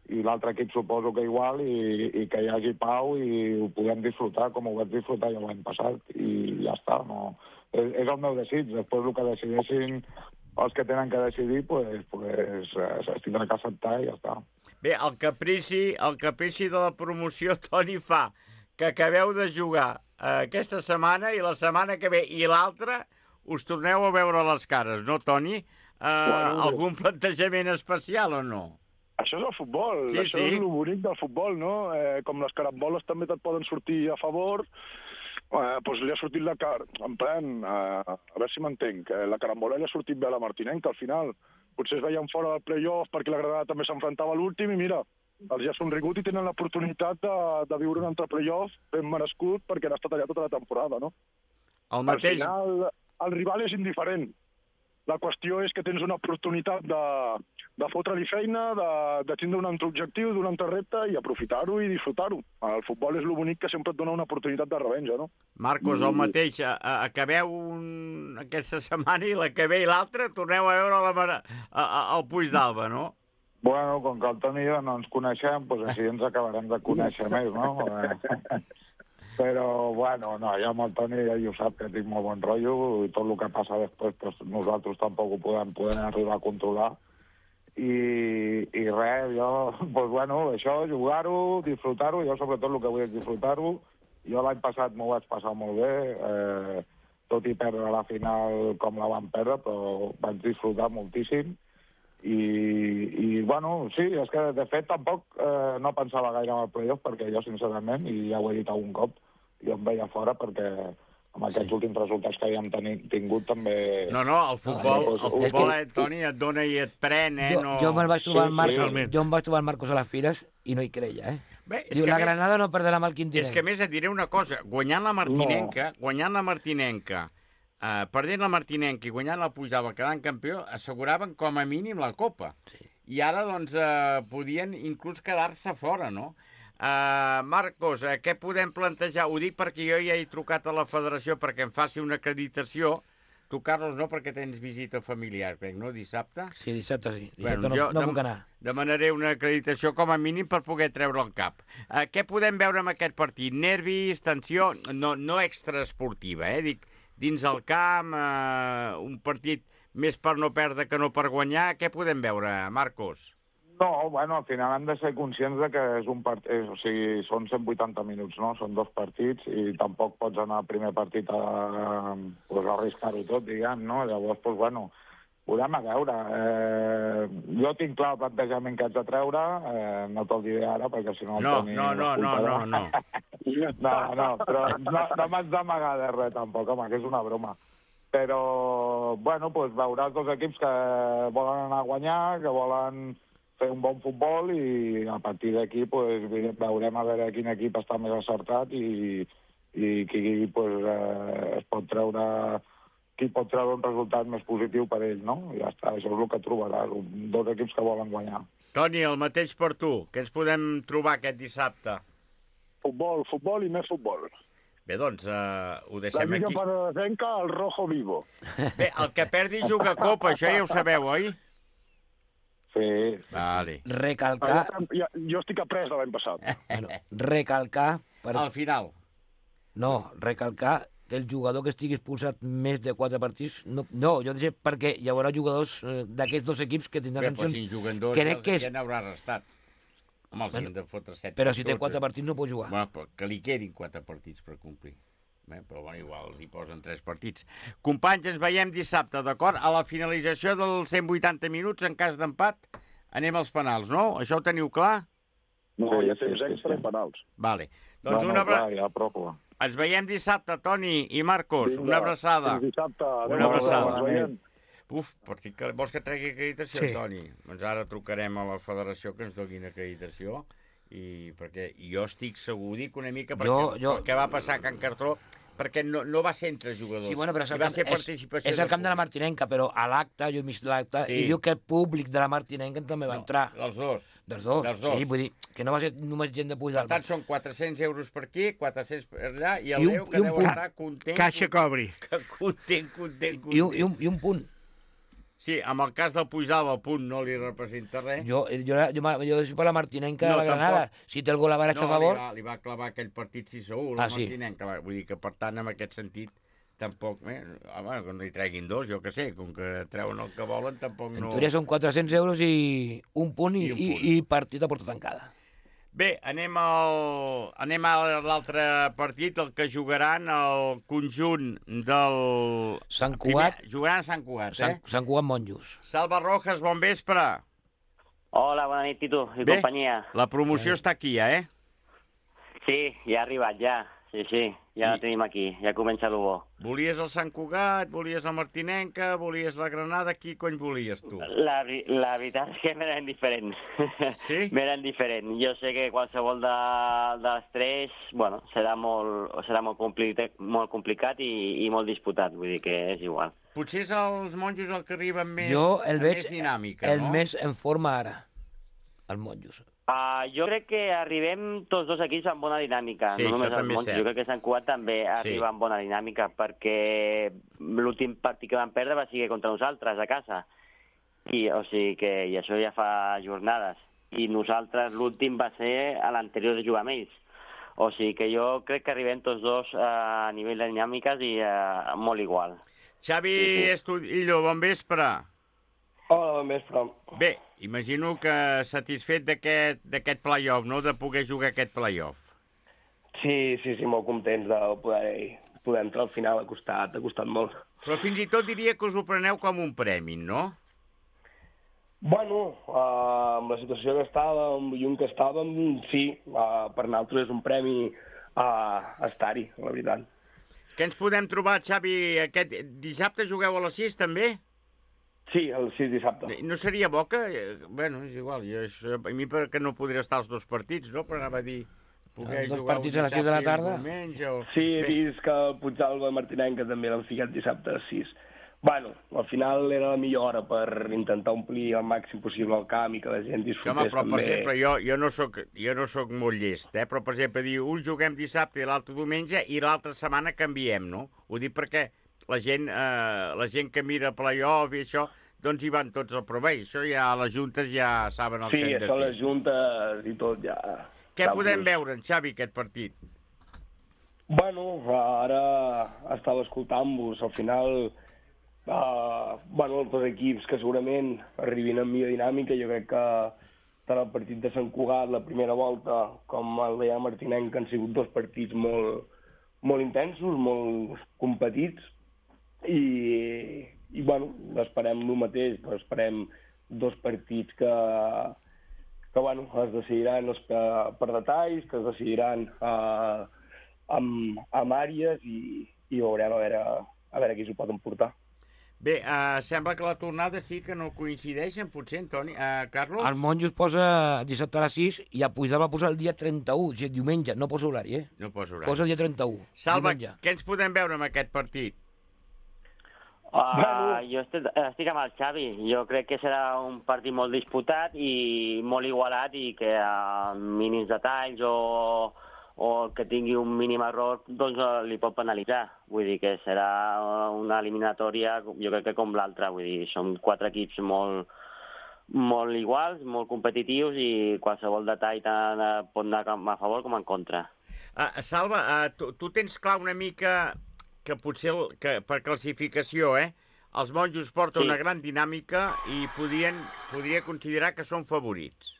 i l'altre equip suposo que igual, i, i que hi hagi pau i ho podem disfrutar com ho vaig disfrutar jo l'any passat, i ja està, no... És, és el meu desig. Després el que decideixin els que tenen que decidir, pues, pues, es tindrà que acceptar i ja està. Bé, el caprici, el caprici de la promoció, Toni, fa que acabeu de jugar eh, aquesta setmana i la setmana que ve i l'altra us torneu a veure les cares, no, Toni? Eh, bueno, algun plantejament especial o no? Això és el futbol, sí, això sí. és el bonic del futbol, no? Eh, com les caramboles també te't poden sortir a favor, Eh, doncs li ha sortit la car... En plan, eh, a veure si m'entenc, eh, la carambola li ha sortit bé a la Martinenca, al final. Potser es veien fora del play-off perquè la Granada també s'enfrontava a l'últim i mira, els ja són rigut i tenen l'oportunitat de, de viure un altre play-off ben merescut perquè han estat allà tota la temporada, no? El mateix... Al final, el rival és indiferent. La qüestió és que tens una oportunitat de, de fotre-li feina, de, de tindre un altre objectiu, d'un altre repte i aprofitar-ho i disfrutar-ho. El futbol és lo bonic que sempre et dona una oportunitat de revenja, no? Marcos, el mateix, a, a, acabeu un... aquesta setmana i l'acabeu i l'altra, torneu a veure la mare... a, a, al Puig d'Alba, no? Bueno, com que el Toni i jo no ens coneixem, doncs així ens acabarem de conèixer més, no? Però, bueno, no, jo amb el Toni ja ho sap que tinc molt bon rotllo i tot el que passa després pues, nosaltres tampoc ho podem, podem arribar a controlar. I, i res, jo, pues, bueno, això, jugar-ho, disfrutar-ho, jo sobretot el que vull és disfrutar-ho. Jo l'any passat m'ho vaig passar molt bé, eh, tot i perdre la final com la vam perdre, però vaig disfrutar moltíssim. I, i bueno, sí, és que de fet tampoc eh, no pensava gaire en el playoff perquè jo, sincerament, i ja ho he dit algun cop, jo em veia fora perquè amb aquests sí. últims resultats que havíem tingut també... No, no, el futbol, el futbol eh, Toni, et dona i et pren, eh? Jo, no... jo me'l vaig trobar sí, el Marc, sí. jo em vaig trobar el Marcos a les Fires i no hi creia, eh? Bé, Diu, la Granada més, no perdrà amb el Quintinenc. És que a més et diré una cosa, guanyant la Martinenca, no. guanyant la Martinenca, eh, perdent la Martinenca i guanyant la Pujava, quedant campió, asseguraven com a mínim la Copa. Sí. I ara, doncs, eh, podien inclús quedar-se fora, no? Uh, Marcos, uh, què podem plantejar? Ho dic perquè jo ja he trucat a la federació perquè em faci una acreditació. Tu, Carlos, no, perquè tens visita familiar, crec, no? Dissabte? Sí, dissabte sí. Dissabte bueno, no, jo no puc anar. Demanaré una acreditació com a mínim per poder treure el cap. Uh, què podem veure en aquest partit? Nervis, tensió? No, no extraesportiva, eh? Dic, dins el camp, uh, un partit més per no perdre que no per guanyar. Què podem veure, Marcos? No, bueno, al final hem de ser conscients de que és un part... és, o sigui, són cent vuitanta minuts, no? Són dos partits i tampoc pots anar al primer partit a, pues, a arriscar-ho tot, diguem, no? Llavors, pues, bueno, podem a veure. Eh, jo tinc clar el plantejament que haig de treure, eh, no te'l diré ara, perquè si no... No, no, no, no, no, no. No, no, però no, no m'haig d'amagar de res, tampoc, home, que és una broma. Però, bueno, pues, veuràs dos equips que volen anar a guanyar, que volen fer un bon futbol i a partir d'aquí pues, veurem a veure quin equip està més acertat i, i qui pues, eh, es pot treure qui pot treure un resultat més positiu per ell, no? I ja està, això és el que trobaràs, dos equips que volen guanyar. Toni, el mateix per tu. Què ens podem trobar aquest dissabte? Futbol, futbol i més futbol. Bé, doncs, uh, ho deixem aquí. La Lliga Panadenca, el rojo vivo. Bé, el que perdi juga Copa, això ja ho sabeu, oi? Sí. Vale. Recalcar... Jo, jo estic après de l'any passat. Bueno, recalcar... Per... Al final. No, recalcar que el jugador que estigui expulsat més de quatre partits... No, no jo dic perquè hi haurà jugadors eh, d'aquests dos equips que tindran sancions... Però si juguen dos, crec que és... ja n'haurà restat. Home, els bueno, han de fotre set. Però si té quatre partits no pot jugar. Bueno, però que li quedin quatre partits per complir. Bé, però bueno, igual els hi posen tres partits. Companys, ens veiem dissabte, d'acord? A la finalització dels cent vuitanta minuts, en cas d'empat, anem als penals, no? Això ho teniu clar? No, ja temps extra i penals. Vale. Doncs no, una... no, clar, ja, prou. Ens veiem dissabte, Toni i Marcos. Vinga, una abraçada. Fins dissabte. Una abraçada. Bona Uf, que... vols que tregui acreditació, sí. Toni? Doncs ara trucarem a la federació que ens donin acreditació. I perquè jo estic segur, dic una mica, perquè jo, jo... el que va passar a Can Cartró, perquè no, no va ser entre jugadors, sí, bueno, però és el, va camp, ser és, participació. és el camp de la Martinenca, però a l'acte, jo he vist l'acte, sí. I diu que el públic de la Martinenca també va no, entrar. Dels dos. Dels dos, dels dos. Sí, vull dir, que no va ser només gent de Puig d'Alba. Per tant, són quatre-cents euros per aquí, quatre-cents per allà, i el Déu que deu estar content... Caixa cobri. Content, content, content. I un, i un, i un punt. Sí, amb el cas del Puig d'Alba, el punt no li representa res. Jo, jo, jo, jo soy per la Martinenca no, de la Granada. Tampoc. Si té el gol a Baraix no, a favor... No, li, li va clavar aquell partit sis a u, la ah, sí. Martinenca. Vull dir que, per tant, en aquest sentit, tampoc... Eh, home, que no hi treguin dos, jo que sé, com que treuen el que volen, tampoc no... En teoria són quatre-cents euros i un punt i, I, un punt. i, i partit a porta tancada. Bé, anem, al... anem a l'altre partit, el que jugaran el conjunt del... Sant Cugat. Primer... Jugaran a Sant Cugat, Sant, eh? Sant Cugat Monjos. Salva Rojas, bon vespre. Hola, bona nit, Tito i Bé, companyia. La promoció Bé. Està aquí, ja, eh? Sí, ja ha arribat, ja. sí, sí, ja I... tenim aquí, ja comença el bo. Volies el Sant Cugat, volies la Martinenca, volies la Granada, qui cony volies tu? La, la veritat és que m'eren diferents. Sí? M'eren diferents. Jo sé que qualsevol de, de les tres, bueno, serà molt, serà molt, complicat, molt complicat i, i molt disputat, vull dir que és igual. Potser és els monjos el que arriben més, jo el veig més dinàmica, el no? més en forma ara, els monjos. Uh, jo crec que arribem tots dos equips amb bona dinàmica, sí, no només els monjos, jo crec que Sant Cugat també sí. arriba amb bona dinàmica, perquè l'últim partit que van perdre va ser contra nosaltres, a casa, i, o sigui que, i això ja fa jornades, i nosaltres l'últim va ser a l'anterior de jugar amb ells. O sigui que jo crec que arribem tots dos uh, a nivell de dinàmiques i uh, molt igual. Xavi sí, sí. Estudillo, bon vespre. Hola, bon vespre. Bé, imagino que satisfet d'aquest play-off, no?, de poder jugar aquest play-off. Sí, sí, sí, molt contents de poder, poder entrar al final, ha costat, ha costat molt. Però fins i tot diria que us ho preneu com un premi, no? Bueno, uh, amb la situació que estàvem, i un que estàvem, sí, uh, per nosaltres és un premi uh, estar-hi, la veritat. Què ens podem trobar, Xavi? Aquest dissabte jugueu a les sis, també? Sí, el sis dissabte. No seria bo que... Bueno, és igual, jo, això, a mi perquè no podria estar els dos partits, no? Però anava a dir... Els dos partits a les sis de la tarda? Diumenge, o... Sí, he vist que el Puigdàlber i Martinenca també l'han ficat dissabte a les sis. Bueno, al final era la millor hora per intentar omplir al màxim possible el camp i que la gent disfrutés Home, però, també. per exemple, jo, jo, no soc, jo no soc molt llest, eh? Però, per exemple, dir, un juguem dissabte i l'altre diumenge i l'altra setmana canviem, no? Ho dic perquè la gent, eh, la gent que mira play-off i això, doncs hi van tots al provell. Això ja les juntes ja saben el sí, que hem de fer. Sí, això les juntes i tot ja... Què podem veure, en Xavi, aquest partit? Bueno, ara estava escoltant-vos, al final... Uh, bueno, els dos equips que segurament arribin amb millor dinàmica, jo crec que tant el partit de Sant Cugat, la primera volta, com el de Martinenca han sigut dos partits molt, molt intensos, molt competits, i, i bueno, esperem el mateix, però esperem dos partits que, que bueno, es decidiran per detalls, que es decidiran uh, amb, amb àrees i, i veurem a veure, a veure qui s'ho pot emportar. Bé, uh, sembla que la tornada sí que no coincideixen, potser, Antoni. Uh, Carlos? El monjo es posa dissabte a les sis i a Puigdàlber va posar el dia trenta-u, o sigui, diumenge, no posa horari, eh? No posa horari. Posa el dia trenta-u. Salva, diumenge. Què ens podem veure amb aquest partit? Uh, jo estic, estic amb el Xavi. Jo crec que serà un partit molt disputat i molt igualat i que a mínims detalls o... o el que tingui un mínim error, doncs li pot penalitzar. Vull dir que serà una eliminatòria, jo crec que com l'altra. Vull dir, són quatre equips molt, molt iguals, molt competitius i qualsevol detall tant pot anar a favor com en contra. Uh, Salva, uh, tu, tu tens clar una mica que potser que per classificació, eh, els monjos porten sí. una gran dinàmica i podrien, podria considerar que són favorits.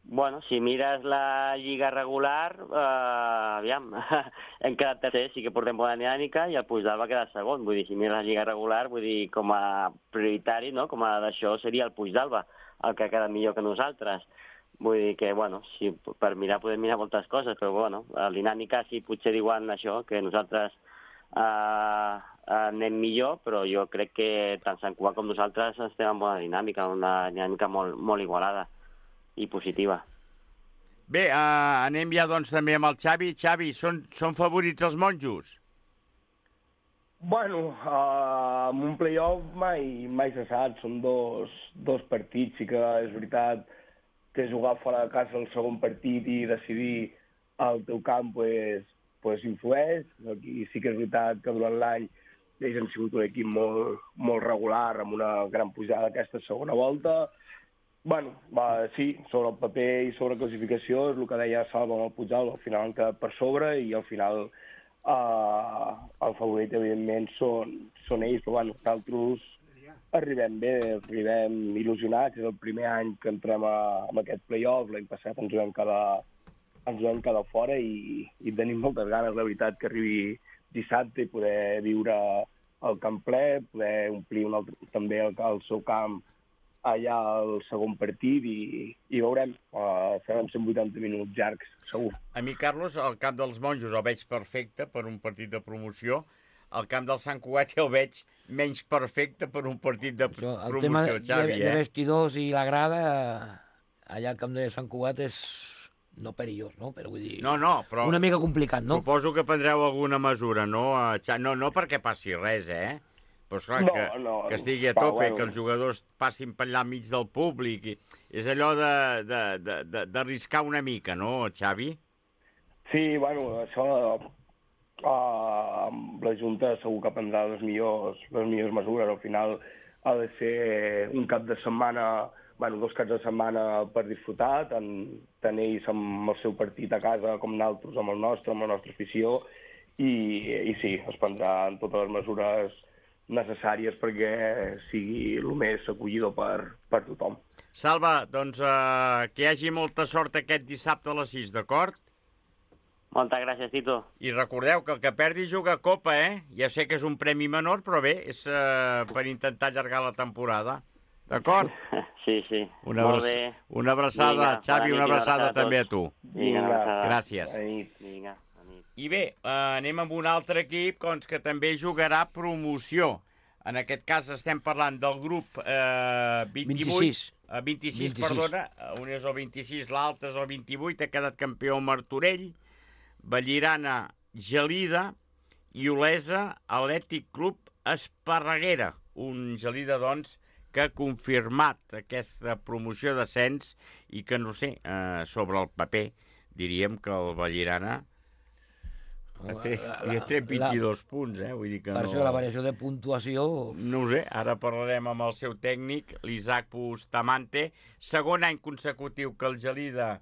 Bueno, si mires la lliga regular, eh, aviam, hem quedat tercer, sí que portem bona dinàmica, i el Puigdàlber va quedar segon. Vull dir, si mires la lliga regular, vull dir, com a prioritari, no?, com a d'això seria el Puigdàlber, el que ha quedat millor que nosaltres. Vull dir que, bueno, si per mirar podem mirar moltes coses, però, bueno, la dinàmica sí potser diuen això, que nosaltres eh, anem millor, però jo crec que tant Sant Cugat com nosaltres estem en bona dinàmica, una dinàmica molt, molt igualada i positiva. Bé, uh, anem ja doncs també amb el Xavi. Xavi, són, són favorits els monjos? Bueno, uh, amb un play-off mai, mai se sap, són dos, dos partits, sí que és veritat que jugar fora de casa el segon partit i decidir al teu camp pues, pues influeix. Aquí sí que és veritat que durant l'any ells han sigut un equip molt, molt regular, amb una gran pujada aquesta segona volta. Bueno, va, sí, sobre el paper i sobre classificació és el que deia Salva amb el Puigdàlber, al final han quedat per sobre i al final eh, el favorit evidentment són, són ells, però bueno, nosaltres arribem bé, arribem il·lusionats, és el primer any que entrem a, a aquest play-off, l'any passat ens vam quedar, ens vam quedar fora i, i tenim moltes ganes, la veritat, que arribi dissabte i poder viure el camp ple, poder omplir un altre, també el, el seu camp allà al segon partit i, i veurem. Uh, seran cent vuitanta minuts llargs, segur. A mi, Carlos, el camp dels monjos el veig perfecte per un partit de promoció. El camp del Sant Cugat el veig menys perfecte per un partit de Això, el promoció, tema Xavi, de, eh? de vestidors i la grada, allà al camp de Sant Cugat és no perillós, no? Però vull dir... No, no, però... Una mica complicat, no? Suposo que prendreu alguna mesura, no? No, no perquè passi res, eh? Però esclar, No, que, no, que estigui a va, tope, bueno. que els jugadors passin per allà enmig del públic. I... És allò de- de- de- de- d'arriscar una mica, no, Xavi? Sí, bueno, això uh, la Junta segur que prendrà les millors, les millors mesures. Al final ha de ser un cap de setmana, bueno, dos caps de setmana per disfrutar, tant, tant ells amb el seu partit a casa com nosaltres amb el nostre, amb la nostra afició, i, i sí, es prendran totes les mesures necessàries perquè sigui el més acollidor per, per tothom. Salva, doncs eh, que hi hagi molta sort aquest dissabte a les sis, d'acord? Moltes gràcies, Tito. I recordeu que el que perdi juga a Copa, eh? Ja sé que és un premi menor, però bé, és eh, per intentar allargar la temporada. D'acord? Sí, sí. Una, Molt abraç... bé. una abraçada, Vinga, Xavi, bona una nit i abraçada abraçada a també a tu. tots. Vinga, una abraçada. Gràcies. Bona nit. Vinga. I bé, eh, anem amb un altre equip doncs, que també jugarà promoció. En aquest cas estem parlant del grup eh, vint-i-vuit. vint-i-sis. Eh, vint-i-sis, vint-i-sis. perdona. Un és el vint-i-sis, l'altre és el vint-i-vuit. Ha quedat campió Martorell, Vallirana, Gelida i Olesa, Atlètic Club Esparreguera. Un Gelida, doncs, que ha confirmat aquesta promoció d'ascens i que, no sé, eh, sobre el paper, diríem que el Vallirana ha tret, li ha tret vint-i-dos punts, eh? Vull dir que Per no... això la variació de puntuació... No ho sé, ara parlarem amb el seu tècnic, l'Isaac Bustamante. Segon any consecutiu que el Gelida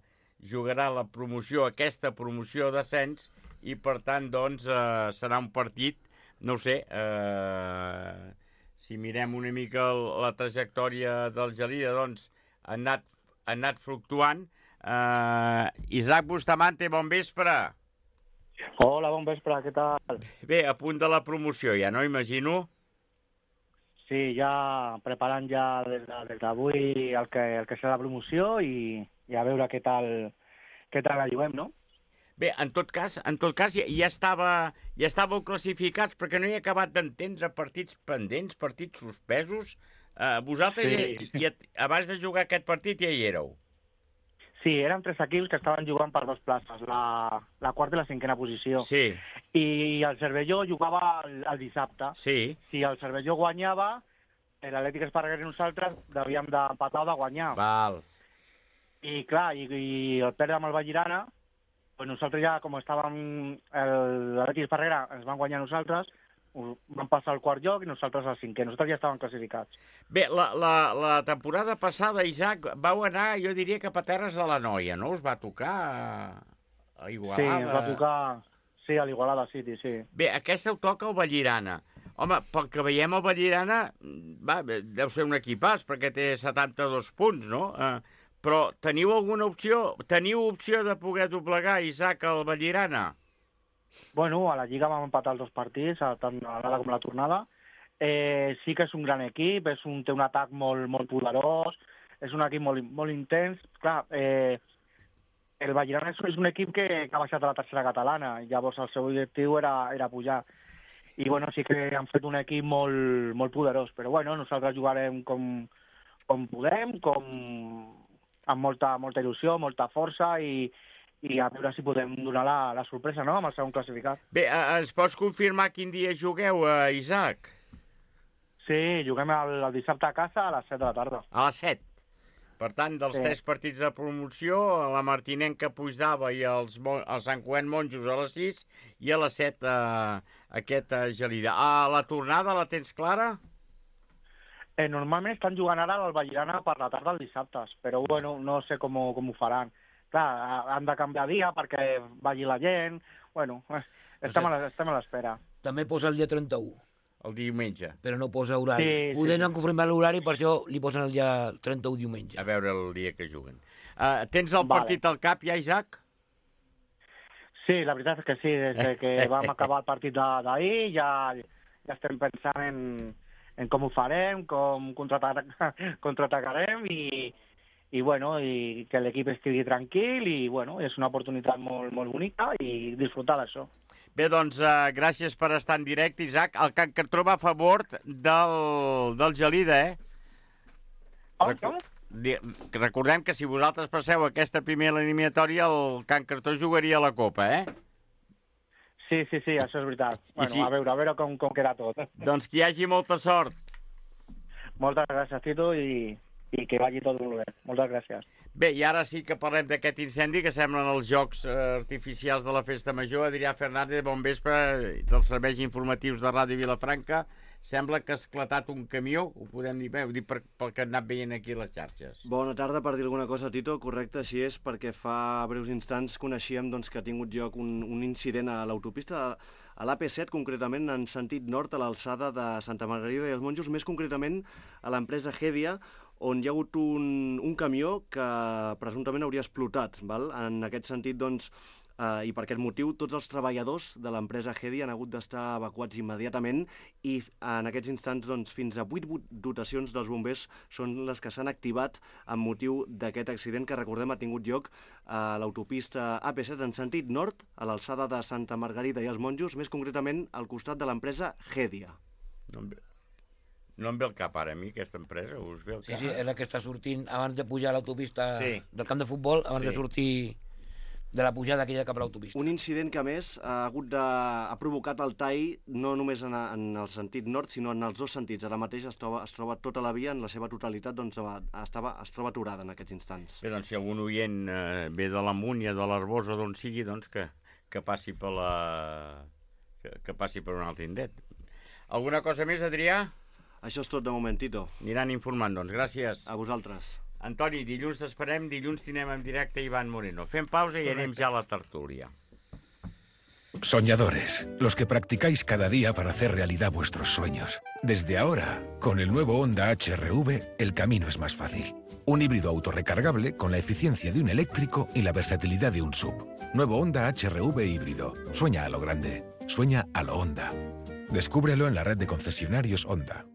jugarà la promoció, aquesta promoció d'ascens, i per tant, doncs, eh, serà un partit, no ho sé, eh, si mirem una mica el, la trajectòria del Gelida, doncs, ha anat, ha anat fluctuant. Eh, Isaac Bustamante, bon vespre. Hola, bon vespre, què tal? Bé, a punt de la promoció, ja no, imagino? Sí, ja preparant ja des de- des d'avui el que, el que serà la promoció i, i a veure què tal, què tal la juguem, no? Bé, en tot cas, en tot cas ja, ja, estava, ja estàveu classificats perquè no he acabat d'entendre partits pendents, partits suspesos. Uh, vosaltres, Sí. ja, ja, abans de jugar aquest partit, ja hi éreu. Sí, eren tres equips que estaven jugant per dos places, la, la quarta i la cinquena posició. Sí. I el Cervelló jugava el, el dissabte. Sí. Si el Cervelló guanyava, l'Atlètic Esparreguera i nosaltres devíem d'empatar o de guanyar. Val. I clar, i, i el perdre amb el Vallirana, pues nosaltres ja, com estàvem, l'Atlètic Esparreguera ens van guanyar nosaltres, van passar al quart lloc i nosaltres al cinquè. Nosaltres ja estàvem classificats. Bé, la, la, la temporada passada, Isaac, vau anar, jo diria, cap a Terres de la Noia, no? Us va tocar a Igualada. Sí, ens va tocar... Sí, a l'Igualada City, sí. Bé, aquesta ho toca el Vallirana. Home, pel que veiem, el Vallirana va, deu ser un equipàs, perquè té setanta-dos punts, no? Eh, però teniu alguna opció? Teniu opció de poder doblegar, Isaac, el Vallirana? Bueno, a la Lliga vam empatar els dos partits, tant a l'anada com a la tornada. Eh, sí que és un gran equip, és un, té un atac molt, molt poderós, és un equip molt, molt intens. Clar, eh, el Vallirana és, és un equip que, que ha baixat a la tercera catalana, i llavors el seu objectiu era, era pujar. I bueno, sí que han fet un equip molt, molt poderós, però bueno, nosaltres jugarem com, com podem, com, amb molta, molta il·lusió, molta força, i, i a veure si podem donar la, la sorpresa, no?, amb el segon classificat. Bé, eh, ens pots confirmar quin dia jugueu, eh, Isaac? Sí, juguem el, el dissabte a casa a les set de la tarda. A les set. Per tant, dels Sí. tres partits de promoció, la Martinenca Puigdava i els, Mo- el Sant Cuent Monjos a les sis i a les set eh, aquest eh, Gelida. A la tornada la tens clara? Eh, normalment estan jugant ara al Vallirana per la tarda els dissabtes, però bueno, no sé com, ho- com ho faran. Clar, han de canviar dia perquè vagi la gent. Bueno, eh, estem, a la- estem a l'espera. També posa el dia trenta-u. El diumenge. Però no posa horari. Sí, sí, Poden sí. confirmar l'horari, per això li posen el dia trenta-u diumenge. A veure el dia que juguen. Uh, tens el Vale. partit al cap ja, Isaac? Sí, la veritat és que sí, des de que vam acabar el partit de- d'ahir ja, ja estem pensant en, en com ho farem, com contraatacarem i, i, bueno, i que l'equip estigui tranquil i bueno, és una oportunitat molt, molt bonica i disfrutar d'això. Bé, doncs, uh, gràcies per estar en directe, Isaac. El Can Cartró va a favor del, del Gelida, eh? Oh, com? Recordem que si vosaltres passeu aquesta primera eliminatòria, el Can Cartró jugaria a la Copa, eh? Sí, sí, sí, això és veritat. Bueno, sí. a veure, a veure com, com queda tot. Doncs que hi hagi molta sort. Moltes gràcies, Tito, i, i que vagi tot molt bé. Moltes gràcies. Bé, i ara sí que parlem d'aquest incendi que semblen els jocs eh, artificials de la Festa Major. Adrià Fernández, bon vespre, dels serveis informatius de Ràdio Vilafranca. Sembla que ha esclatat un camió, ho podem dir bé, ho dic per, pel que hem anat veient aquí a les xarxes. Bona tarda, per dir alguna cosa, Tito. Correcte, així és, perquè fa breus instants coneixíem doncs, que ha tingut lloc un, un incident a l'autopista, a l'A P set, concretament en sentit nord, a l'alçada de Santa Margarida i els Monjos, més concretament a l'empresa Hedia, on hi ha hagut un, un camió que presumptament hauria explotat. Val? En aquest sentit, doncs, eh, i per aquest motiu, tots els treballadors de l'empresa Hedia han hagut d'estar evacuats immediatament i en aquests instants doncs, fins a vuit dotacions dels bombers són les que s'han activat amb motiu d'aquest accident que, recordem, ha tingut lloc a l'autopista A P set en sentit nord, a l'alçada de Santa Margarida i els Monjos, més concretament al costat de l'empresa Hedia. No em ve, no em ve el cap ara a mi, aquesta empresa, us ve el cap? Sí, sí, és la que està sortint abans de pujar a l'autopista sí. del camp de futbol, abans sí. de sortir de la pujada aquella cap a l'autopista. Un incident que, a més, ha, hagut de, ha provocat el tall no només en, en el sentit nord, sinó en els dos sentits. Ara mateix es troba, es troba tota la via, en la seva totalitat, doncs, estava, es troba aturada en aquests instants. Bé, doncs, si algun oient eh, ve de la Múnia, de l'Arbós o d'on sigui, doncs que, que passi per la... Que, que passi per un altre indret. Alguna cosa més, Adrià? Això és tot de moment, Tito. Aniran informant, doncs. Gràcies. A vosaltres. Antoni, dilluns t'esperem, dilluns tindrem en directe Iván Moreno. Fem pausa i anem ja a la tertúlia. Soñadores, los que practicáis cada día para hacer realidad vuestros sueños. Desde ahora, con el nuevo Honda H R V, el camino es más fácil. Un híbrido autorrecargable con la eficiencia de un eléctrico y la versatilidad de un sub. Nuevo Honda H R V híbrido. Sueña a lo grande. Sueña a lo Honda. Descúbrelo en la red de concesionarios Honda.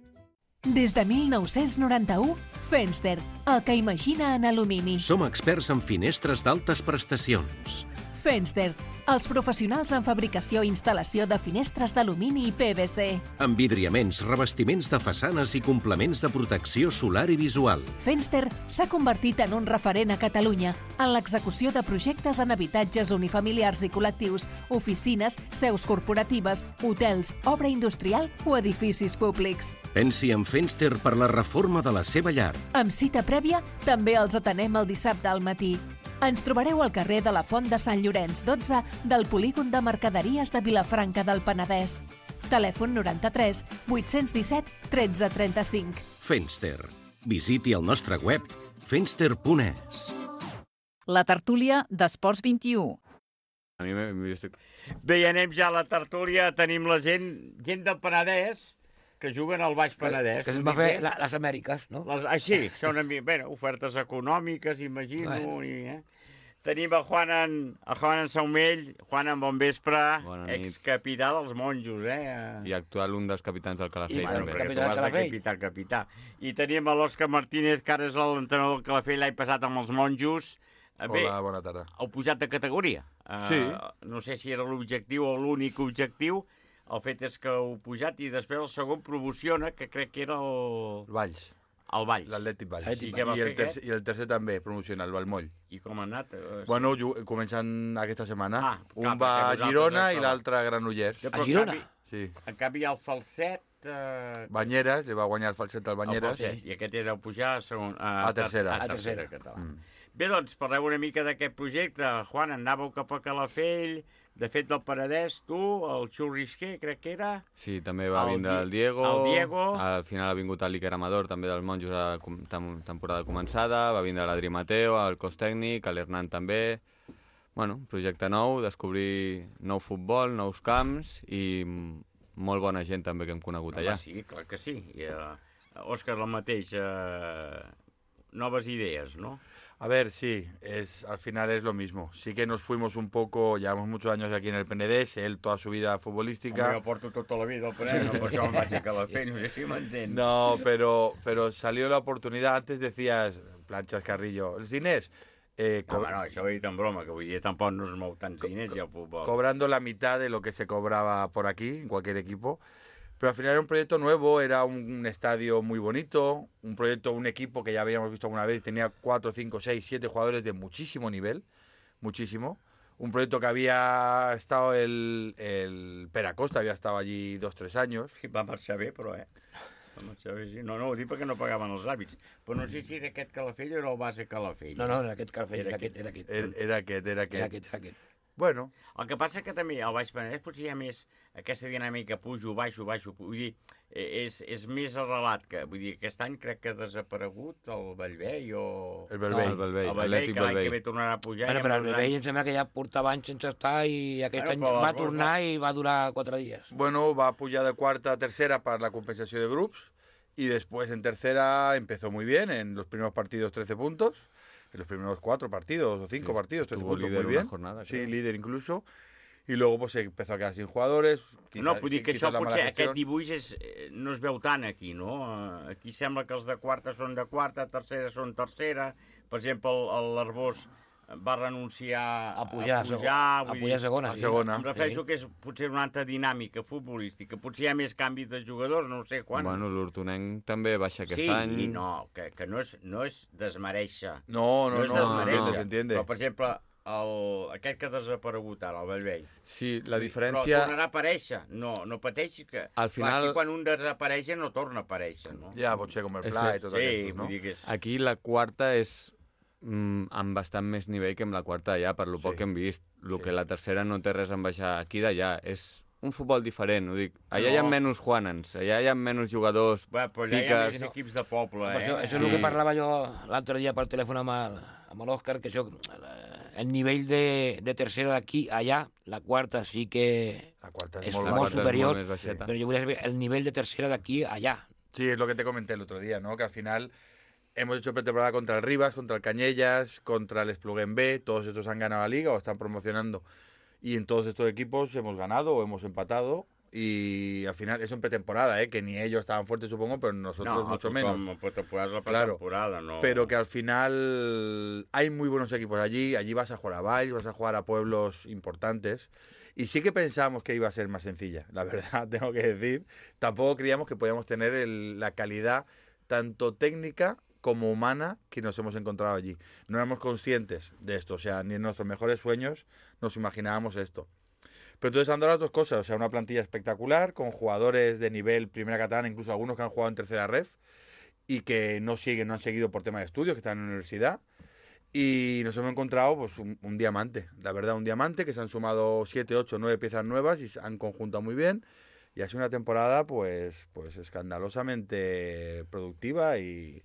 Des de mil nou-cents noranta-u, Fenster, el que imagina en alumini. Som experts en finestres d'altes prestacions. Fenster, els professionals en fabricació i instal·lació de finestres d'alumini i P V C. Envidriaments, revestiments de façanes i complements de protecció solar i visual. Fenster s'ha convertit en un referent a Catalunya en l'execució de projectes en habitatges unifamiliars i col·lectius, oficines, seus corporatives, hotels, obra industrial o edificis públics. Pensi en Fenster per la reforma de la seva llar. Amb cita prèvia, també els atenem el dissabte al matí. Ens trobareu al carrer de la Font de Sant Llorenç dotze del polígon de mercaderies de Vilafranca del Penedès. Telèfon noranta-tres vuit-cents disset tretze trenta-cinc. Fenster. Visiti el nostre web fenster punt es. La tertúlia d'Esports vint-i-u. A mi Bé, i anem ja a la tertúlia. Tenim la gent, gent del Penedès que juguen al Baix Penedès. Que, que es va fer la, les Amèriques, no? Les, ah, sí, són bé, ofertes econòmiques, imagino. Bueno. I, eh? Tenim el Juan en, el Juan en Saumell. Juan, en bon vespre. Excapità dels Monjos, eh? I actual un dels capitans del Calafell, I, també. Capità del Calafell. Capità, capità. I tenim l'Òscar Martínez, que ara és l'entrenador del Calafell l'any passat amb els Monjos. Bé, hola, bona tarda. Heu pujat de categoria. Sí. Uh, no sé si era l'objectiu o l'únic objectiu. El fet és que heu pujat i després el segon promociona, que crec que era el... El Valls. El Valls. L'Atlètic Valls. I, I, el tercer, I el tercer també promociona, el Valmoll. I com ha anat? Eh, bueno, començant aquesta setmana. Ah, un va a Girona i l'altre a Granollers. A Girona? Sí. En canvi, el Falset... Eh... Banyeres, li va guanyar el Falset al Banyeres. El I aquest era pujar a, segon, a, a tercera. A tercera, català. Mm. Bé, doncs, parleu una mica d'aquest projecte. Juan, anàveu cap a Calafell, de fet del Penedès, tu, el Xurrisquer, crec que era. Sí, també va el vindre el Diego. El Diego. Al final ha vingut l'Iker Amador, també dels Monjos, a la temporada començada. Va vindre l'Adri Mateo, el cos tècnic, l'Hernán també. Bueno, projecte nou, descobrir nou futbol, nous camps i molt bona gent també que hem conegut allà. Home, sí, clar que sí. I, uh, Òscar, el mateix, uh, noves idees, no? A ver, sí, es, al final es lo mismo. Sí que nos fuimos un poco, llevamos muchos años aquí en el Penedès, él toda su vida futbolística. Home, jo porto tota la vida al Penedès, no per això me'n vaig a Calafell, no sé si m'entens. No, pero, pero salió la oportunidad, antes decías, Planchas Carrillo, els diners... Eh, no, home, no, això ho he dit en broma, que vull dir, tampoc no es mou tants diners i el futbol. Cobrando la mitad de lo que se cobraba por aquí, en cualquier equipo. Pero al final era un proyecto nuevo, era un estadio muy bonito, un proyecto, un equipo que ya habíamos visto alguna vez, tenía cuatro, cinco, seis, siete jugadores de muchísimo nivel, muchísimo. Un proyecto que había estado el, el Pere Acosta, había estado allí dos, tres años. Sí, va marxar bé, però, eh? Va marxar bé, sí. No, no, ho dic perquè no pagaven els hàbits. Però no sé si d'aquest Calafell o era el base Calafell. No, no, era aquest Calafell, era aquest, era aquest. Era, era aquest, era aquest. Era aquest, era aquest. Bueno. El que passa que també al Baix Penedès potser hi ha més aquesta dinàmica pujo, baixo, baixo, vull dir, és, és més arrelat que, vull dir, aquest any crec que ha desaparegut el Bellvei o... El Bellvei. No, el Bellvei, el Bellvei que l'any que ve tornarà a pujar. Bueno, però el Bellvei em sembla que ja portava anys sense estar i aquest Bueno, any però va els tornar va- i va durar quatre dies. Bueno, va a pujar de cuarta a tercera para la compensación de grupos y después en tercera empezó muy bien, en los primeros partidos trece puntos, en los primeros cuatro partidos o cinco Sí, partidos, trece estuvo puntos, líder muy una bien. jornada, sí, creo. líder incluso. Y luego pues se empezó a quedar sin jugadores. Quizá, No, vull dir que quizá això la mala potser, gestión. aquest dibuix és, eh, no es veu tant aquí, no? Eh, Aquí sembla que els de quarta són de quarta, tercera són tercera. Per exemple, el- l'Arbós va renunciar A pujar, a pujar, a vull pujar a dir, segona, sí. A segona. Em refereixo Sí. que és potser una altra dinàmica futbolística. Potser hi ha més canvis de jugadors, no ho sé quan. Bueno, l'Hortonenc també baixa aquest sí, any. i no, que, que no, és, no és desmereixer. No, no, és no, desmereixer. entiende, entiende. Però, per exemple, el, aquest que ha desaparegut ara, el Bellvei. Sí, la Però diferència... tornarà a aparèixer. No, no pateixis que... Al final- Clar, aquí quan un desapareix no torna a aparèixer, no? Ja, potser com el És Pla que- i tot sí, aquests, no? vull dir que és... Aquí la quarta és mm, amb bastant més nivell que amb la quarta d'allà, per lo poc Sí. que hem vist. El que la tercera no té res a baixar aquí d'allà. És un futbol diferent, ho dic. Allà No. hi ha menys Juanans, allà hi ha menys jugadors, Va, però allà hi ha piques... més equips de poble, Això, eh? això és el que parlava jo l'altre dia per telèfon amb el- amb l'Òscar, que això, el nivell de, de tercera d'aquí allà, la quarta sí que La quarta és molt molt, baixa, és superior, molt més baixeta. però jo volia saber el nivell de tercera d'aquí allà. Sí, es lo que te comenté el otro día, ¿no? Que al final hemos hecho pretemporada contra el Rivas, contra el Cañellas, contra el Espluguén B, todos estos han ganado la liga o están promocionando. Y en todos estos equipos hemos ganado o hemos empatado. Y al final, eso en pretemporada, ¿eh? Que ni ellos estaban fuertes, supongo, pero nosotros No, mucho tothom, menos. en pretemporada és la Claro, pretemporada, no... pero que al final hay muy buenos equipos allí. Allí vas a jugar a Valls, vas a jugar a pueblos importantes. Y sí que pensamos que iba a ser más sencilla, la verdad, tengo que decir. Tampoco creíamos que podíamos tener el- la calidad tanto técnica como humana que nos hemos encontrado allí. No éramos conscientes de esto, o sea, ni en nuestros mejores sueños nos imaginábamos esto. Pero entonces han dado las dos cosas, o sea, una plantilla espectacular, con jugadores de nivel primera catalana, incluso algunos que han jugado en tercera ref, y que no siguen, no han seguido por tema de estudios, que están en la universidad. Y nos hemos encontrado pues un, un diamante, la verdad, un diamante, que se han sumado siete, ocho, nueve piezas nuevas y se han conjuntado muy bien. Y ha sido una temporada pues, pues escandalosamente productiva y...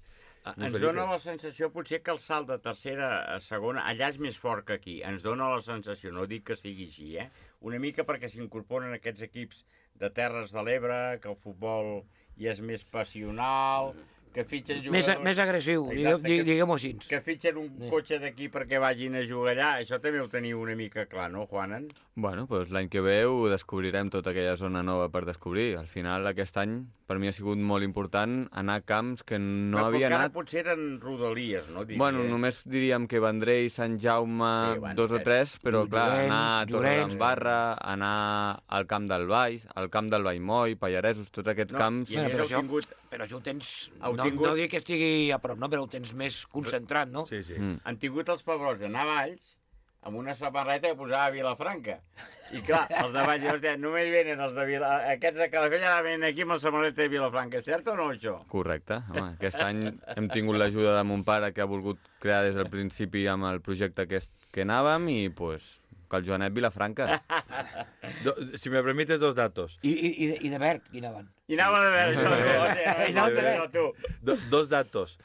muy Ens felices. dona la sensació, potser, que el salt de tercera a segona, allà és més fort que aquí. Ens dona la sensació, no dic que sigui així, eh? Una mica perquè s'incorporen aquests equips de Terres de l'Ebre, que el futbol hi és més passional, que fitxen Més, jugadors... més agressiu, diguem, que- diguem-ho així. Que fitxen un cotxe d'aquí perquè vagin a jugar allà. Això també ho teniu una mica clar, no, Juanen? Bueno, doncs l'any que ve ho descobrirem, tota aquella zona nova per descobrir. Al final, aquest any, per mi ha sigut molt important anar a camps que no Però havia encara anat. potser eren rodalies, no? Diria. Bueno, només diríem que Vendrell, Sant Jaume, Sí, bueno, dos o eh, tres, però clar, Llorenç, anar a Llorenç. Torredembarra, anar al camp del Baix, al camp del Vallmoll, Pallaresos, tots aquests No, camps... i a més però, heu això, tingut- però això ho tens... Heu no, tingut- no dic que estigui a prop, no, però ho tens més concentrat, no? Sí, sí. Mm. Han tingut els pebrots d'anar a Valls amb una samarreta que posava Vilafranca. I clar, els de Valls, hòstia, només venen els de Vila... Aquests de Calafell ara venen aquí amb la samarreta de Vilafranca. És cert o no, això? Correcte. Home, aquest any hem tingut l'ajuda de mon pare, que ha volgut crear des del principi amb el projecte aquest que anàvem, i pues, que el Joanet Vilafranca. Do- si me permites dos datos. I, i, i, de, i de verd, qui anaven? I anava de veure això, tu, o sigui, I anava de no, tu. Do- dos datos.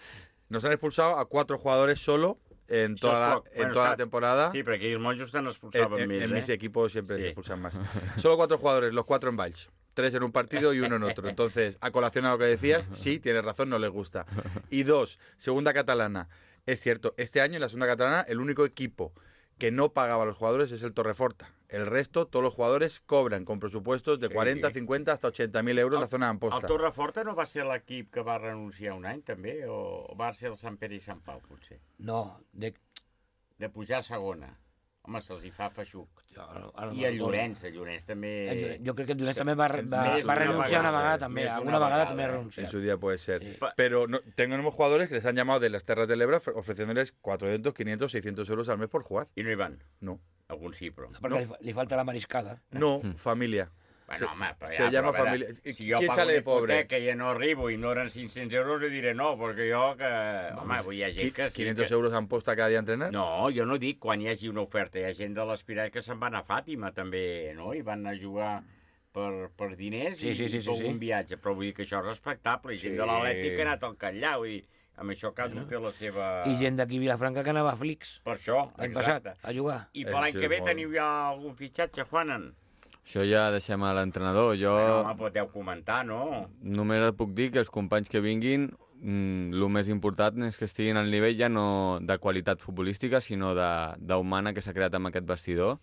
Nos han expulsado a cuatro jugadores solo en Això toda, és la, poc. en Bueno, toda està- la temporada. Sí, perquè els monjos te'n En, expulsaven en- més, en eh? mis equipos siempre Sí. se expulsan más. Solo cuatro jugadores, los cuatro en Valls. Tres en un partido y uno en otro. Entonces, a colación a lo que decías, sí, tienes razón, no les gusta. Y dos, segunda catalana. Es cierto, este año en la segunda catalana el único equipo que no pagaba a los jugadores es el Torreforta. El resto, todos los jugadores cobran con presupuestos de Sí, cuarenta, sí. cincuenta hasta ochenta mil euros en la zona El d'Amposta. Torreforta no va ser l'equip que va renunciar un any, també? O va ser el Sant Pere i Sant Pau, potser? No, de... De pujar a segona. Home, se'ls hi fa feixuc. ara no I el recordo. Llorenç, el Llorenç també... El Llorenç- jo crec que el Llorenç també va- va- Més va d'una renunciar una vegada també, més alguna d'una vegada també ha ¿eh? renunciado. En su día puede ser. Pero no, tenemos jugadores que les han llamado de las Terras del Ebro ofreciéndoles cuatrocientos, quinientos, seiscientos euros al mes por jugar. I no hi van? No. Algun sí, però... No, perquè li, fa- li falta la mariscada. No, familia. Bueno, home, però se ja, llama però a familia. veure, si jo ¿Quién pago sale de una pobre? hipoteca i no arribo i no eren cinc-cents euros, jo diré no, perquè jo que... Home, avui hi ha gent que... Sí ¿quinientos que... euros a Amposta cada día a entrenar? No, jo no dic quan hi hagi una oferta. Hi ha gent de l'Espirall que se'n van a Fàtima, també, no? I van a jugar per, per diners Sí, i, sí, sí, i per sí, un sí. viatge. Però vull dir que això és respectable. I gent Sí. de l'Atlètic que ha anat al Catllà, vull dir, amb això cada un té la seva... I gent d'aquí a Vilafranca que anava a Flix. Per això, L'any exacte. passat, a jugar. I per l'any Sí, que ve molt. teniu ja algun fitxatge, Juanan? Això ja deixem a l'entrenador. Jo No, home, podeu comentar, no? només et puc dir que els companys que vinguin, mm, el més important és que estiguin al nivell ja no de qualitat futbolística, sinó de- d'humana que s'ha creat amb aquest vestidor,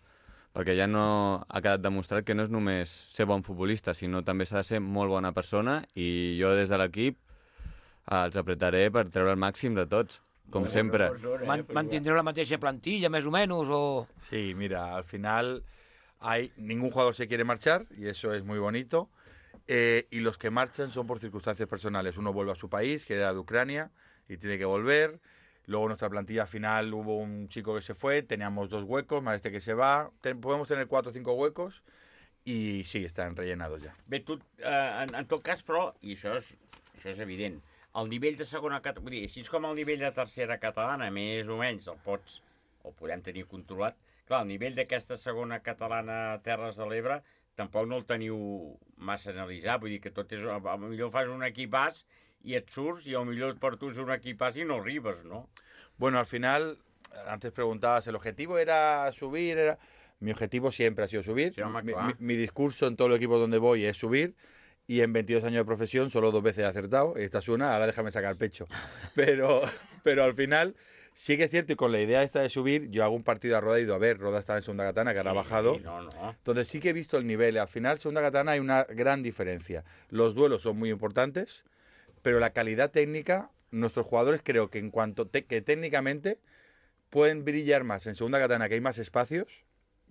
perquè ja no ha quedat demostrat que no és només ser bon futbolista, sinó també s'ha de ser molt bona persona, i jo des de l'equip eh, els apretaré per treure el màxim de tots, com sempre. Man, mantindreu la mateixa plantilla, més o menys, o... Sí, mira, al final hay ningún jugador se quiere marchar y eso es muy bonito. Eh, y los que marchan son por circunstancias personales. Uno vuelve a su país, que era de Ucrania, y tiene que volver. Luego nuestra plantilla final hubo un chico que se fue, teníamos dos huecos, más este que se va. Ten- podemos tener cuatro o cinco huecos y sí, están rellenados ya. Bé, tu, eh, en, en tot cas, però, i això és, això és evident, el nivell de segona catalana, vull dir, així com el nivell de tercera catalana, més o menys, el pots, el podem tenir controlat. Clar, el nivell d'aquesta segona catalana Terres de l'Ebre tampoc no el teniu massa analitzat, vull dir que tot és... A millor fas un equipàs i et surts, i a millor per tu és un equipàs i no arribes, no? Bueno, al final, antes preguntabas, ¿el objetivo era subir? Era... Mi objetivo siempre ha sido subir. Sí, home, mi, clar. mi- mi discurso en todos los equipos donde voy es subir. Y en veintidós años de profesión solo dos veces he acertado. Esta es una, ahora déjame sacar pecho. Pero, pero al final, sí que es cierto, y con la idea esta de subir, yo hago un partido a Roda, he ido a ver, Roda está en segunda katana, que ahora ha bajado. Sí, no, no. Entonces sí que he visto el nivel. Al final, segunda katana hay una gran diferencia. Los duelos son muy importantes, pero la calidad técnica, nuestros jugadores creo que en cuanto te- que técnicamente pueden brillar más en segunda katana, que hay más espacios,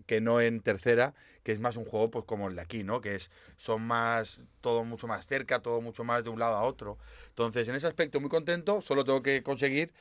que no en tercera, que es más un juego pues como el de aquí, ¿no? Que es son más todo mucho más cerca, todo mucho más de un lado a otro. Entonces, en ese aspecto muy contento, solo tengo que conseguir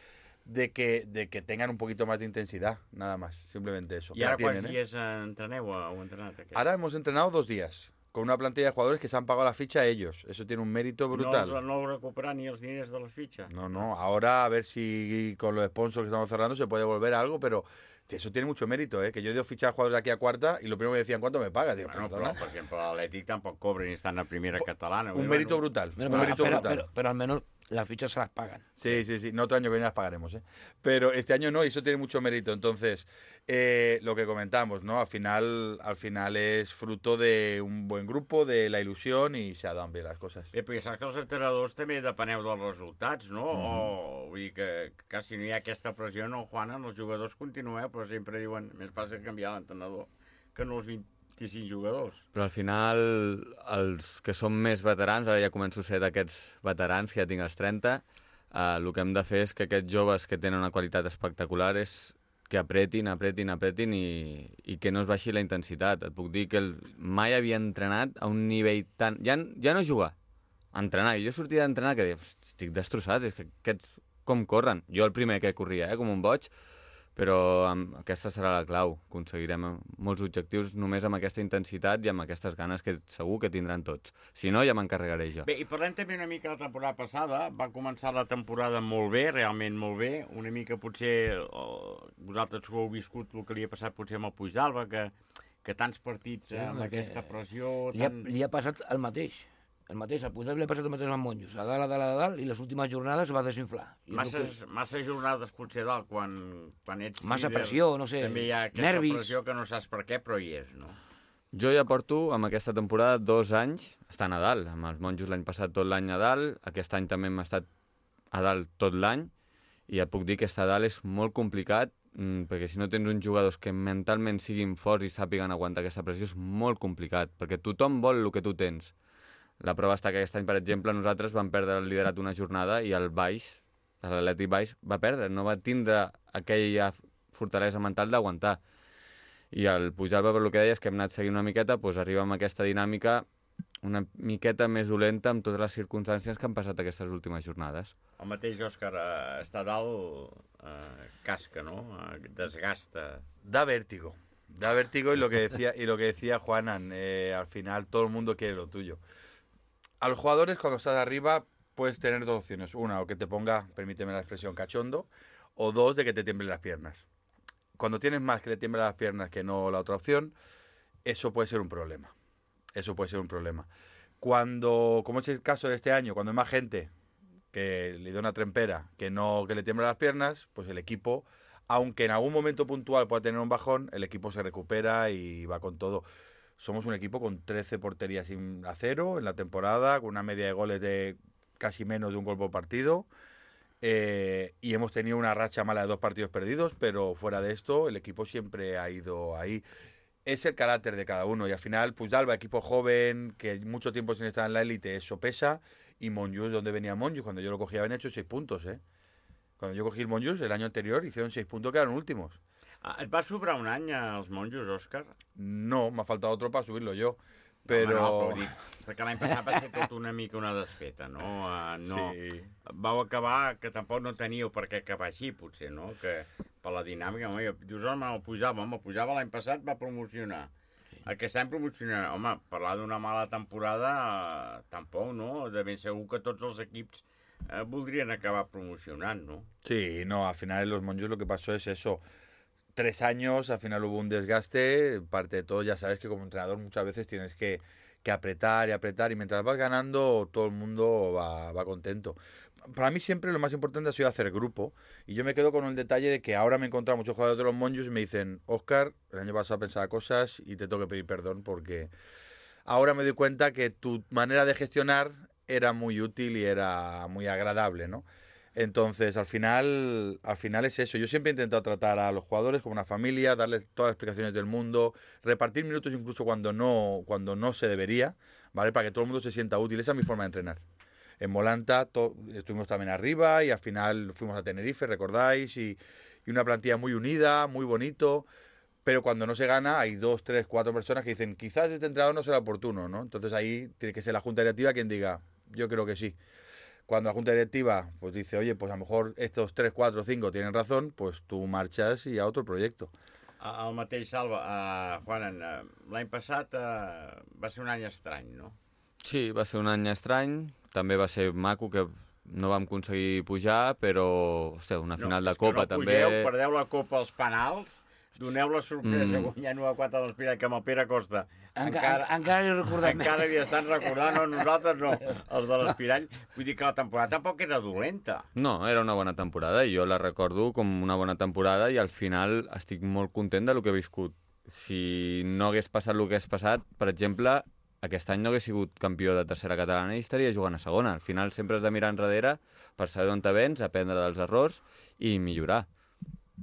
de que de que tengan un poquito más de intensidad, nada más, simplemente eso. I Que la ara quants tienen, ¿eh? dies entreneu o heu entrenat aquest? Ahora hemos entrenado dos días con una plantilla de jugadores que se han pagado la ficha a ellos. Eso tiene un mérito brutal. No, no heu recuperat ni els diners de les fitxes? No, no, ahora a ver si con los sponsors que estamos cerrando se puede volver a algo, pero eso tiene mucho mérito, ¿eh? Que yo he ido a fichar a jugadores de aquí a cuarta y lo primero que me decían, ¿cuánto me pagas? Digo, Bueno, perdona. però, per exemple, l'Atlètic tampoc cobra ni estan a primera catalana. Un mérito brutal, Pero, un pero, mérito pero, brutal. pero, pero al menos las fichas se las pagan. Sí, sí, sí. No, otro año que viene las pagaremos, ¿eh? Pero este año no, y eso tiene mucho mérito. Entonces, eh, lo que comentamos, ¿no? Al final, al final es fruto de un buen grupo, de la ilusión y se dan bien las cosas. Bé, perquè saps que els entrenadors també depeneu dels resultats, no? Mhm. O, vull dir que, que si no hi ha aquesta pressió, no, Juana, els jugadors continueu, però sempre diuen, més fàcil canviar l'entrenador que no els vint-i-cinc jugadors. Però al final, els que som més veterans, ara ja començo a ser d'aquests veterans, que ja tinc els trenta, eh, el que hem de fer és que aquests joves que tenen una qualitat espectacular és que apretin, apretin, apretin i, i que no es baixi la intensitat. Et puc dir que el, mai havia entrenat a un nivell tan... Ja, ja no jugar, entrenar. I jo sortia d'entrenar que deia, estic destrossat, és que aquests com corren. Jo el primer que corria, eh, com un boig, però amb, aquesta serà la clau. Aconseguirem molts objectius només amb aquesta intensitat i amb aquestes ganes que segur que tindran tots. Si no, ja m'encarregaré jo. Bé, i parlem també una mica de la temporada passada. Va començar la temporada molt bé, realment molt bé. Una mica potser, oh, vosaltres que heu viscut el que li ha passat potser amb el Puigdàlber, que, que tants partits Sí, eh, amb perquè aquesta pressió... Li ha, Tan... li ha passat el mateix. El mateix, al Puigdàlber li ha passat el mateix amb Monjos. A dalt, a dalt, a dalt, i les últimes jornades es va desinflar. I és Massa, el que- massa jornades potser dalt, quan, quan ets Massa líder, pressió, no sé, també hi ha aquesta nervis. pressió que no saps per què, però hi és, no? Jo ja porto amb aquesta temporada dos anys estant a dalt. Amb els monjos l'any passat tot l'any a dalt, aquest any també hem estat a dalt tot l'any i et puc dir que estar a dalt és molt complicat, perquè si no tens uns jugadors que mentalment siguin forts i sàpiguen aguantar aquesta pressió és molt complicat, perquè tothom vol el que tu tens. La prova està que aquest any, per exemple, nosaltres vam perdre el liderat una jornada i el Baix, l'Atlètic Baix, va perdre, no va tindre aquella fortalesa mental d'aguantar. I el Pujalba, per el que deies, que hem anat seguint una miqueta, doncs arriba amb aquesta dinàmica una miqueta més dolenta amb totes les circumstàncies que han passat aquestes últimes jornades. El mateix, Òscar, eh, està dalt, eh, casca, ¿no? Eh, desgasta. Da vértigo. Da vértigo y lo que decía, y lo que decía Juanan, eh, al final todo el mundo quiere lo tuyo. A los jugadores, cuando estás arriba, puedes tener dos opciones. Una, o que te ponga, permíteme la expresión, cachondo, o dos, de que te tiemblen las piernas. Cuando tienes más que le tiemblen las piernas que no la otra opción, eso puede ser un problema. Eso puede ser un problema. Cuando, como es el caso de este año, cuando hay más gente que le da una trempera que no que le tiembla las piernas, pues el equipo, aunque en algún momento puntual pueda tener un bajón, el equipo se recupera y va con todo. Somos un equipo con trece porterías sin a cero en la temporada, con una media de goles de casi menos de un gol por partido. Eh, y hemos tenido una racha mala de dos partidos perdidos, pero fuera de esto, el equipo siempre ha ido ahí. Es el carácter de cada uno y al final Pujalba, equipo joven, que mucho tiempo sin estar en la élite, eso pesa. Y Monjus, ¿dónde venía Monjus? Cuando yo lo cogí habían hecho seis puntos, ¿eh? Cuando yo cogí el Monjus el año anterior hicieron seis puntos, quedaron últimos. Et va sobrar un any als Monjos, Òscar? No, m'ha faltat otro para subirlo yo. Però... No, no, però dic, perquè l'any passat va ser tot una mica una desfeta, no? Uh, no. Sí. Vau acabar, que tampoc no teníeu per què acabar així, potser, no? Que per la dinàmica, home, dius, home, el Pujava, home, el Pujava l'any passat va promocionar. Aquest any promocionarà. Home, parlar d'una mala temporada, uh, tampoc, no? De ben segur que tots els equips uh, voldrien acabar promocionant, no? Sí, no, al final en los Monjos lo que pasó es eso. Tres años, al final hubo un desgaste, parte de todo, ya sabes que como entrenador muchas veces tienes que, que apretar y apretar, y mientras vas ganando todo el mundo va, va contento. Para mí siempre lo más importante ha sido hacer grupo, y yo me quedo con el detalle de que ahora me he encontrado muchos jugadores de los Monjos y me dicen, Óscar, el año pasado pensaba cosas y te tengo que pedir perdón porque ahora me doy cuenta que tu manera de gestionar era muy útil y era muy agradable, ¿no? Entonces, al final, al final es eso. Yo siempre he intentado tratar a los jugadores como una familia, darles todas las explicaciones del mundo, repartir minutos incluso cuando no, cuando no se debería, ¿vale? Para que todo el mundo se sienta útil. Esa es mi forma de entrenar. En Molanta estuvimos también arriba y al final fuimos a Tenerife, recordáis, y, y una plantilla muy unida, muy bonito. Pero cuando no se gana hay dos, tres, cuatro personas que dicen quizás este entrenador no será oportuno, ¿no? Entonces ahí tiene que ser la junta directiva quien diga, yo creo que sí. Cuando la junta directiva pues dice, oye, pues a lo mejor estos tres, cuatro, cinco tienen razón, pues tú marchas y a otro proyecto. El mateix, Salva, uh, Juanan, uh, l'any passat uh, va ser un any estrany, no? Sí, va ser un any estrany, també va ser maco que no vam aconseguir pujar, però, hòstia, una final no, de Copa no també... Pugeu, perdeu la Copa als penals, doneu la sorpresa mm. guanyant u a quatre de l'Espirall, que amb el Pere Costa encara, encara li recordem. Encara li estan recordant, no, nosaltres no, els de l'Espirall. Vull dir que la temporada tampoc era dolenta. No, era una bona temporada i jo la recordo com una bona temporada i al final estic molt content del que he viscut. Si no hagués passat el que hagués passat, per exemple, aquest any no hagués sigut campió de tercera catalana i estaria jugant a segona. Al final sempre has de mirar enrere per saber d'on te vens, aprendre dels errors i millorar.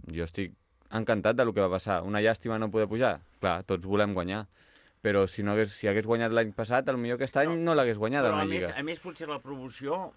Jo estic encantat del que va passar. Una llàstima no poder pujar. Clar, tots volem guanyar. Però si no hagués, si hagués guanyat l'any passat, potser aquest any no, no l'hagués guanyat a la Lliga. Més, a més, potser la promoció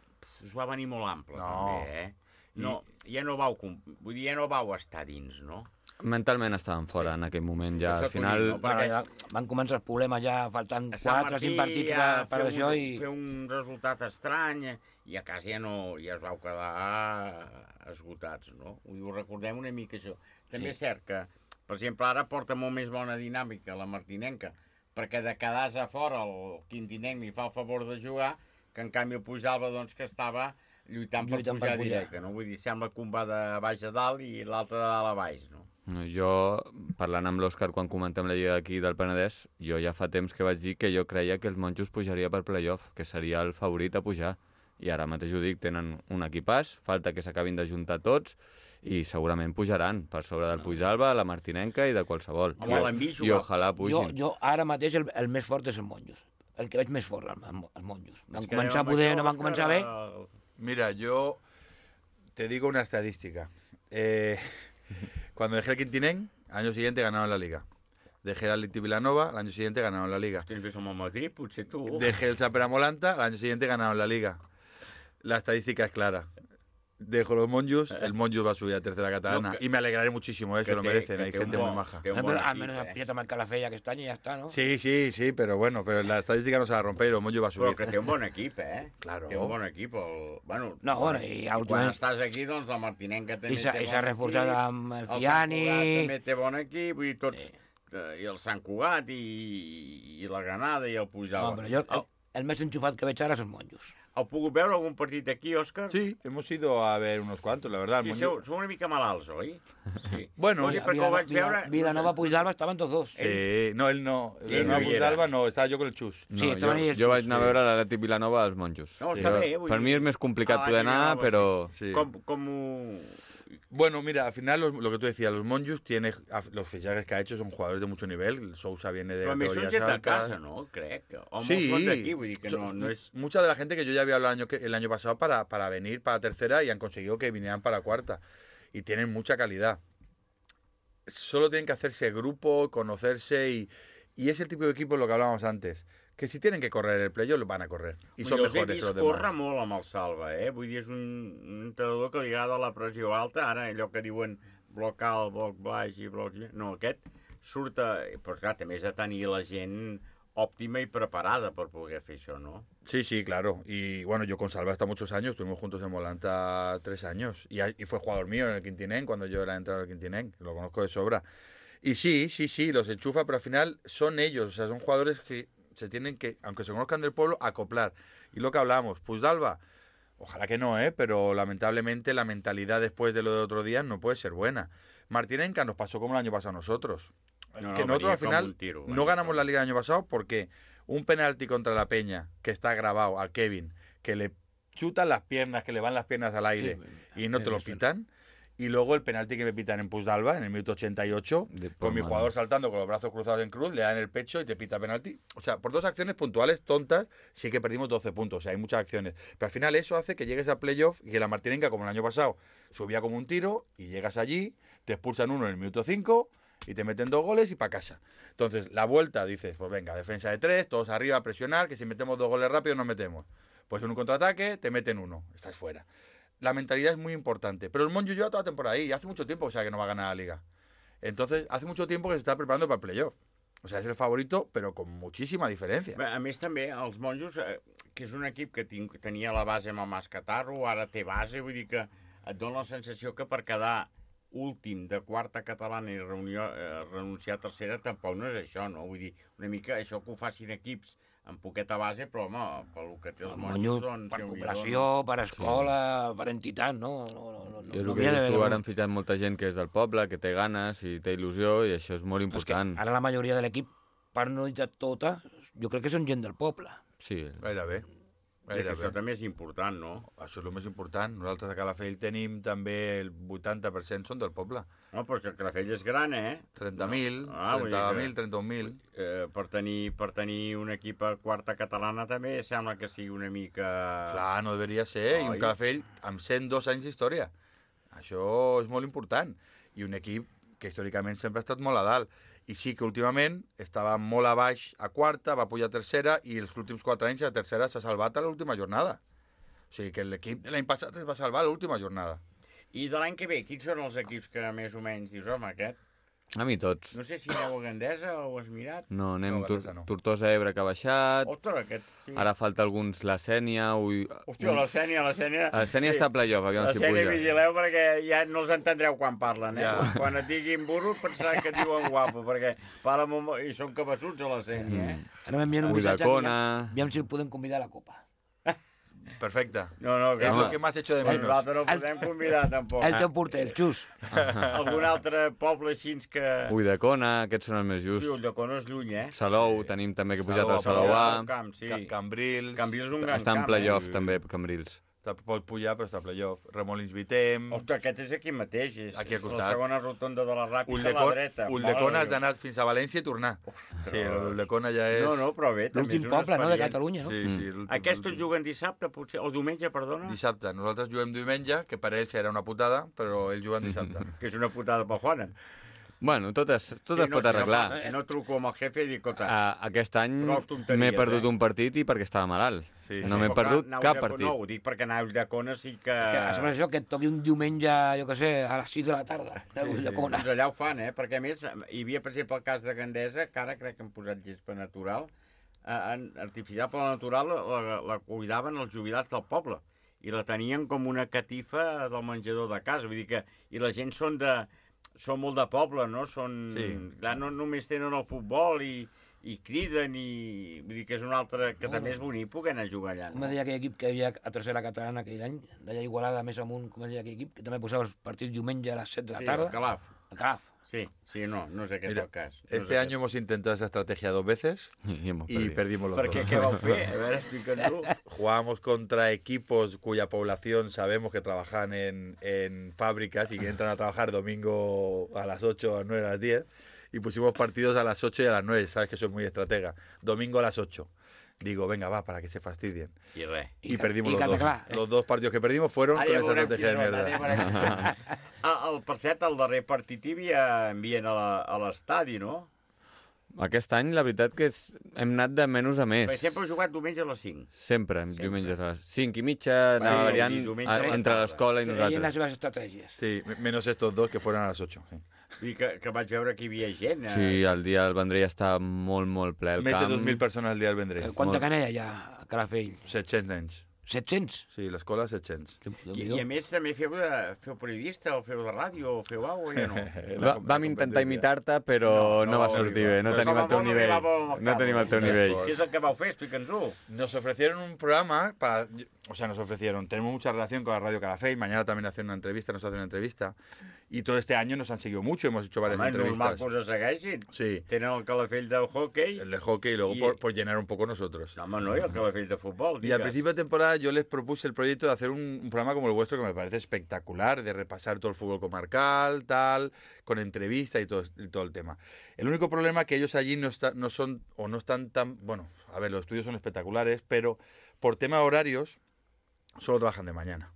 us va venir molt ampla, no. també, eh? No, I... ja no vau, vull dir, ja no vau estar dins, no? Mentalment estàvem fora sí. en aquell moment, ja al final... No, perquè... ja van començar els problemes ja faltant quatre o cinc partits ja per això i... Fer un resultat estrany i a casa ja no ja es vau quedar esgotats, no? Ho recordem una mica això. També sí. és cert que, per exemple, ara porta molt més bona dinàmica la martinenca, perquè de quedar a fora el quintinenc li fa el favor de jugar, que en canvi el Pujalba, doncs, que estava lluitant per lluitant pujar per directe, no? Vull dir, sembla que un va de baix a dalt i l'altre de dalt a baix, no? Jo, parlant amb l'Òscar quan comentem la Lliga d'aquí del Penedès, jo ja fa temps que vaig dir que jo creia que els Monjos pujaria per playoff, que seria el favorit a pujar. I ara mateix ho dic, tenen un equipàs, falta que s'acabin d'ajuntar tots, i segurament pujaran per sobre del Pujalba, la Martinenca i de qualsevol. I, i ojalà pugin. Jo, jo ara mateix el, el més fort és el Monjos. El que veig més fort, els Monjos. Van començar a poder, no van començar bé. Mira, yo Te digo una estadística. Eh, cuando dejé el Quintinén, al año siguiente ganaron la Liga. Dejé el Atleti Vilanova, al año siguiente ganaron la Liga. Tens som a Madrid, potser tu. Dejé el Sapera-Molanta, al año siguiente ganaron la Liga. La estadística es clara. Dejo los Monjos, el Monjos va a subir a tercera catalana. No, que, y me alegraré muchísimo, eh, se lo merecen, hay gente muy maja. Pero al menos aprieta más Calafell aquest any i ja està, no? Sí, sí, sí, pero bueno, pero la estadística no se va a romper y los Monjos va a subir. Però que té un bon equip, eh? Claro. Té un bon equip. El... Bueno, no, bueno, i, i quan estàs aquí, doncs la Martinenca també té bon equip. I s'ha reforçat amb el Fiani. El Sant Cugat també té bon equip, vull dir, tots... I el Sant Cugat i, i la Granada i el Pujal. No, però jo, el, el més enxufat que veig ara són Monjos. ¿Has pogut veure algún partido aquí, Óscar? Sí, hemos ido a ver unos cuantos, la verdad. Sí, son, son una mica malalts, ¿oi? Sí. Bueno, Oye, perquè ho vaig veure... Vilanova Puigdalba estaven tots dos. Sí, no, él no. Vilanova Puigdalba no, estava jo con el Xus. No, sí, jo, jo vaig anar a veure l'Atlètic Vilanova als Monjos. No, està bé. Jo, per mi és més complicat ah, poder anar, però... Sí. Com, com... Bueno, mira, al final lo, lo que tú decías, los Monjos tiene los fichajes que ha hecho son jugadores de mucho nivel. Sousa viene de categorías altas. Pero casa, ¿no? Crec. O sí, son de aquí, vull dir que no, no es... Mucha de la gente que yo ya había hablado el año, que, el año pasado para, para venir para tercera y han conseguido que vinieran para cuarta. Y tienen mucha calidad. Solo tienen que hacerse grupo, conocerse y, y es el tipo de equipo, lo que hablábamos antes. Que si tienen que correr el playoff, lo van a correr. I són mejores que los demás. Corre molt amb el Salva, eh? Vull dir, és un, un entrenador que li agrada la pressió alta. Ara, allò que diuen bloc alt, bloc baix i bloc... No, aquest surt... A... Però clar, també has de tenir la gent òptima i preparada per poder fer això, ¿no? Sí, sí, claro. Y bueno, yo con Salva hasta muchos años, estuvimos juntos en Molanta tres años. Y, y fue jugador mío en el Quintinén, cuando yo era entrenador del Quintinén. Lo conozco de sobra. Y sí, sí, sí, los enchufa, pero al final son ellos. O sea, son jugadores que... se tienen que, aunque se conozcan del pueblo, acoplar. Y lo que hablábamos, Puigdalba, ojalá que no, ¿eh? Pero lamentablemente la mentalidad después de lo de otro día no puede ser buena. Martinenca nos pasó como el año pasado a nosotros. No, que no, nosotros al final tiro, no ganamos la liga el año pasado porque un penalti contra la Peña, que está grabado al Kevin, que le chutan las piernas, que le van las piernas al aire sí, y no te lo pitan. Y luego el penalti que me pitan en Puigdalba, en el minuto ochenta y ocho, con mi jugador saltando con los brazos cruzados en cruz, le dan el pecho y te pita penalti. O sea, por dos acciones puntuales, tontas, sí que perdimos doce puntos. O sea, hay muchas acciones. Pero al final eso hace que llegues a playoff y que la Martinenca, como el año pasado, subía como un tiro y llegas allí, te expulsan uno en el minuto cinco y te meten dos goles y para casa. Entonces, la vuelta, dices, pues venga, defensa de tres, todos arriba a presionar, que si metemos dos goles rápido nos metemos. Pues en un contraataque te meten uno, estás fuera. La mentalidad es muy importante. Pero el Monjos lleva toda la temporada ahí. Y hace mucho tiempo, o sea, que no va a ganar la Liga. Entonces, hace mucho tiempo que se está preparando para el playoff. O sea, és el favorito, però con muchísima diferència. A més, també, els Monjos, eh, que és un equip que tinc, tenia la base amb el Mascatarro, ara té base, vull dir que et dona la sensació que per quedar últim de quarta catalana i reunió, eh, renunciar a tercera tampoc no és això, no? Vull dir, una mica això que ho facin equips amb poqueta base, però, home, pel que té els Monjos... Doncs, per cooperació, no? Per escola, sí. Per entitat, no? no, no, no I és el que dius tu, ara han fitxat molta gent que és del poble, que té ganes i té il·lusió, i això és molt important. És que ara la majoria de l'equip, per no dir tota, jo crec que són gent del poble. Sí. Gairebé. I que això també és important, no? Això és el més important. Nosaltres a Calafell tenim també el vuitanta per cent són del poble. No, però que Calafell és gran, eh? trenta mil, no? ah, trenta mil, trenta un mil. Eh, per, tenir, per tenir un equip a quarta catalana també sembla que sigui una mica... Clar, no deveria ser. Oh, I un Calafell amb cent dos anys d'història. Això és molt important. I un equip que històricament sempre ha estat molt a dalt. I sí que últimament estava molt a baix a quarta, va pujar a tercera i els últims quatre anys a tercera s'ha salvat a l'última jornada. O sigui que l'equip de l'any passat es va salvar a l'última jornada. I de l'any que ve, quins són els equips que més o menys dius, home, aquest? A mi tots. No sé si aneu a Gandesa o ho has mirat. No, anem no, no. Tortosa Ebre que ha baixat. Ostres, aquest, sí. Ara falta alguns la Sènia. Ui... Hòstia, la Sènia, la Sènia... La Sènia sí. Està a playoff, aviam la si puja. La Sènia vigileu perquè ja no els entendreu quan parlen, eh? Ja. Quan et diguin burro pensar que diuen guapo, perquè parlen molt... i són cabassuts a la Sènia, eh? Mm. Ara m'envien un missatge, aviam si el podem convidar a la Copa. Perfecte. No, no, que... És el que m'has hecho de menos. Nosaltres no podem convidar, tampoc. El teu porter, el Xus. Algun altre poble així que... Ulldecona, aquests són els més justs. Sí, Ulldecona és lluny, eh? Salou, sí. Tenim també que he pujat al Salou A. Camp, sí. Cambrils. Cambrils és un gran Està en camp. playoff, eh? també, Cambrils. Pot pujar, però està a playoff. Remolins Vitem... Ostres, aquest és aquí mateix. És, aquí a és costat. la segona rotonda de la Ràpita a la Ulldecona, dreta. Ulldecona has d'anar fins a València i tornar. Ostres. Sí, l'Ulldecona ja és... No, no, però bé, també és una poble, no?, de experiència. Catalunya, no? Sí, sí. Mm. Aquests juguen dissabte, potser, o diumenge, perdona? Dissabte. Nosaltres juguem diumenge, que per ells era una putada, però ells juguen dissabte. Que és una putada per Juana. Bueno, tot es, tot sí, es no, pot arreglar. Si no, no truco amb el jefe i dic, escolta... Uh, aquest any m'he eh? perdut un partit i perquè estava malalt. Sí, no sí. m'he perdut Clar, cap de, partit. No, ho dic perquè anar a Ulldecona sí que... Que, a sobre això, que et toqui un diumenge, jo què sé, a les sis de la tarda, a Ulldecona. Doncs allà ho fan, eh? Perquè a més hi havia, per exemple, el cas de Gandesa, que ara crec que han posat gespa natural, eh, artificial per la natural la, la cuidaven els jubilats del poble i la tenien com una catifa del menjador de casa. Vull dir que... I la gent són de... Són molt de poble, no? Són... Sí. Clar, no només tenen el futbol i, i criden i... Vull dir que és un altre... Que no, també és bonic poder anar a jugar allà, no? Com deia aquell equip que hi havia a tercera catalana aquell any, d'allà Igualada més amunt, com deia aquell equip, que també posava els partits diumenge a les set de la sí, tarda. Sí, el Calaf. El Calaf. Sí, sí, no, no sé qué es el caso. No este año hemos intentado esa estrategia dos veces y, hemos y perdimos los ¿Por dos. qué? ¿Qué va a hacer? A ver, explícanos. Jugábamos contra equipos cuya población sabemos que trabajan en, en fábricas y que entran a trabajar domingo a las ocho, a las nueve, a las diez, y pusimos partidos a las ocho y a las nueve, sabes que soy muy estratega. Domingo a las ocho. Digo, venga, va, para que se fastidien. Y, re. y, y perdimos y los dos. Clar, eh? Los dos partidos que perdimos fueron ara con ja esa estrategia de mierda. Ah, el, per cert, el darrer partit hi havia envien a l'estadi, no? Aquest any, la veritat que és... hem anat de menys a més. Per sempre heu jugat diumenge a les cinc. Sempre, sempre. diumenges a les cinc i mitja, sí, anava variant a, entre l'escola i nosaltres. Feien les seves estratègies. Sí, menos estos dos que fueron a las ocho. Sí. I que, que vaig veure que hi havia gent. Eh? Sí, el dia del Vendrell està molt, molt ple el Mete camp. dos mil persones el dia del Vendrell. Quanta canella hi ha a Calafell? set-cents nens. set-cents? Sí, l'escola set-cents. I, I a més també feu, de, feu periodista, o feu de ràdio, o feu alguna cosa, ja no? Va, vam intentar imitar-te, però no, no, no va sortir bé, no tenim el teu nivell. No tenim el teu nivell. ¿Qué es el que vau fer? Explica'ns-ho. Nos ofrecieron un programa para... O sea, nos ofrecieron, tenemos mucha relación con la Radio Calafell, mañana también hacen una entrevista, nos hacen una entrevista, y todo este año nos han seguido mucho, hemos hecho varias Home, entrevistas. normal que us segueixin. Sí. Tenen el Calafell del hockey. El de hockey y luego y... por, por llenar un poco nosotros. No, no, y el Calafell de fútbol. Y al principio de temporada yo les propuse el proyecto de hacer un, un programa como el vuestro que me parece espectacular, de repasar todo el fútbol comarcal, tal, con entrevistas y todo, y todo el tema. El único problema es que ellos allí no, está, no son, o no están tan, bueno, a ver, los estudios son espectaculares, pero por tema de horarios, solo trabajan de mañana.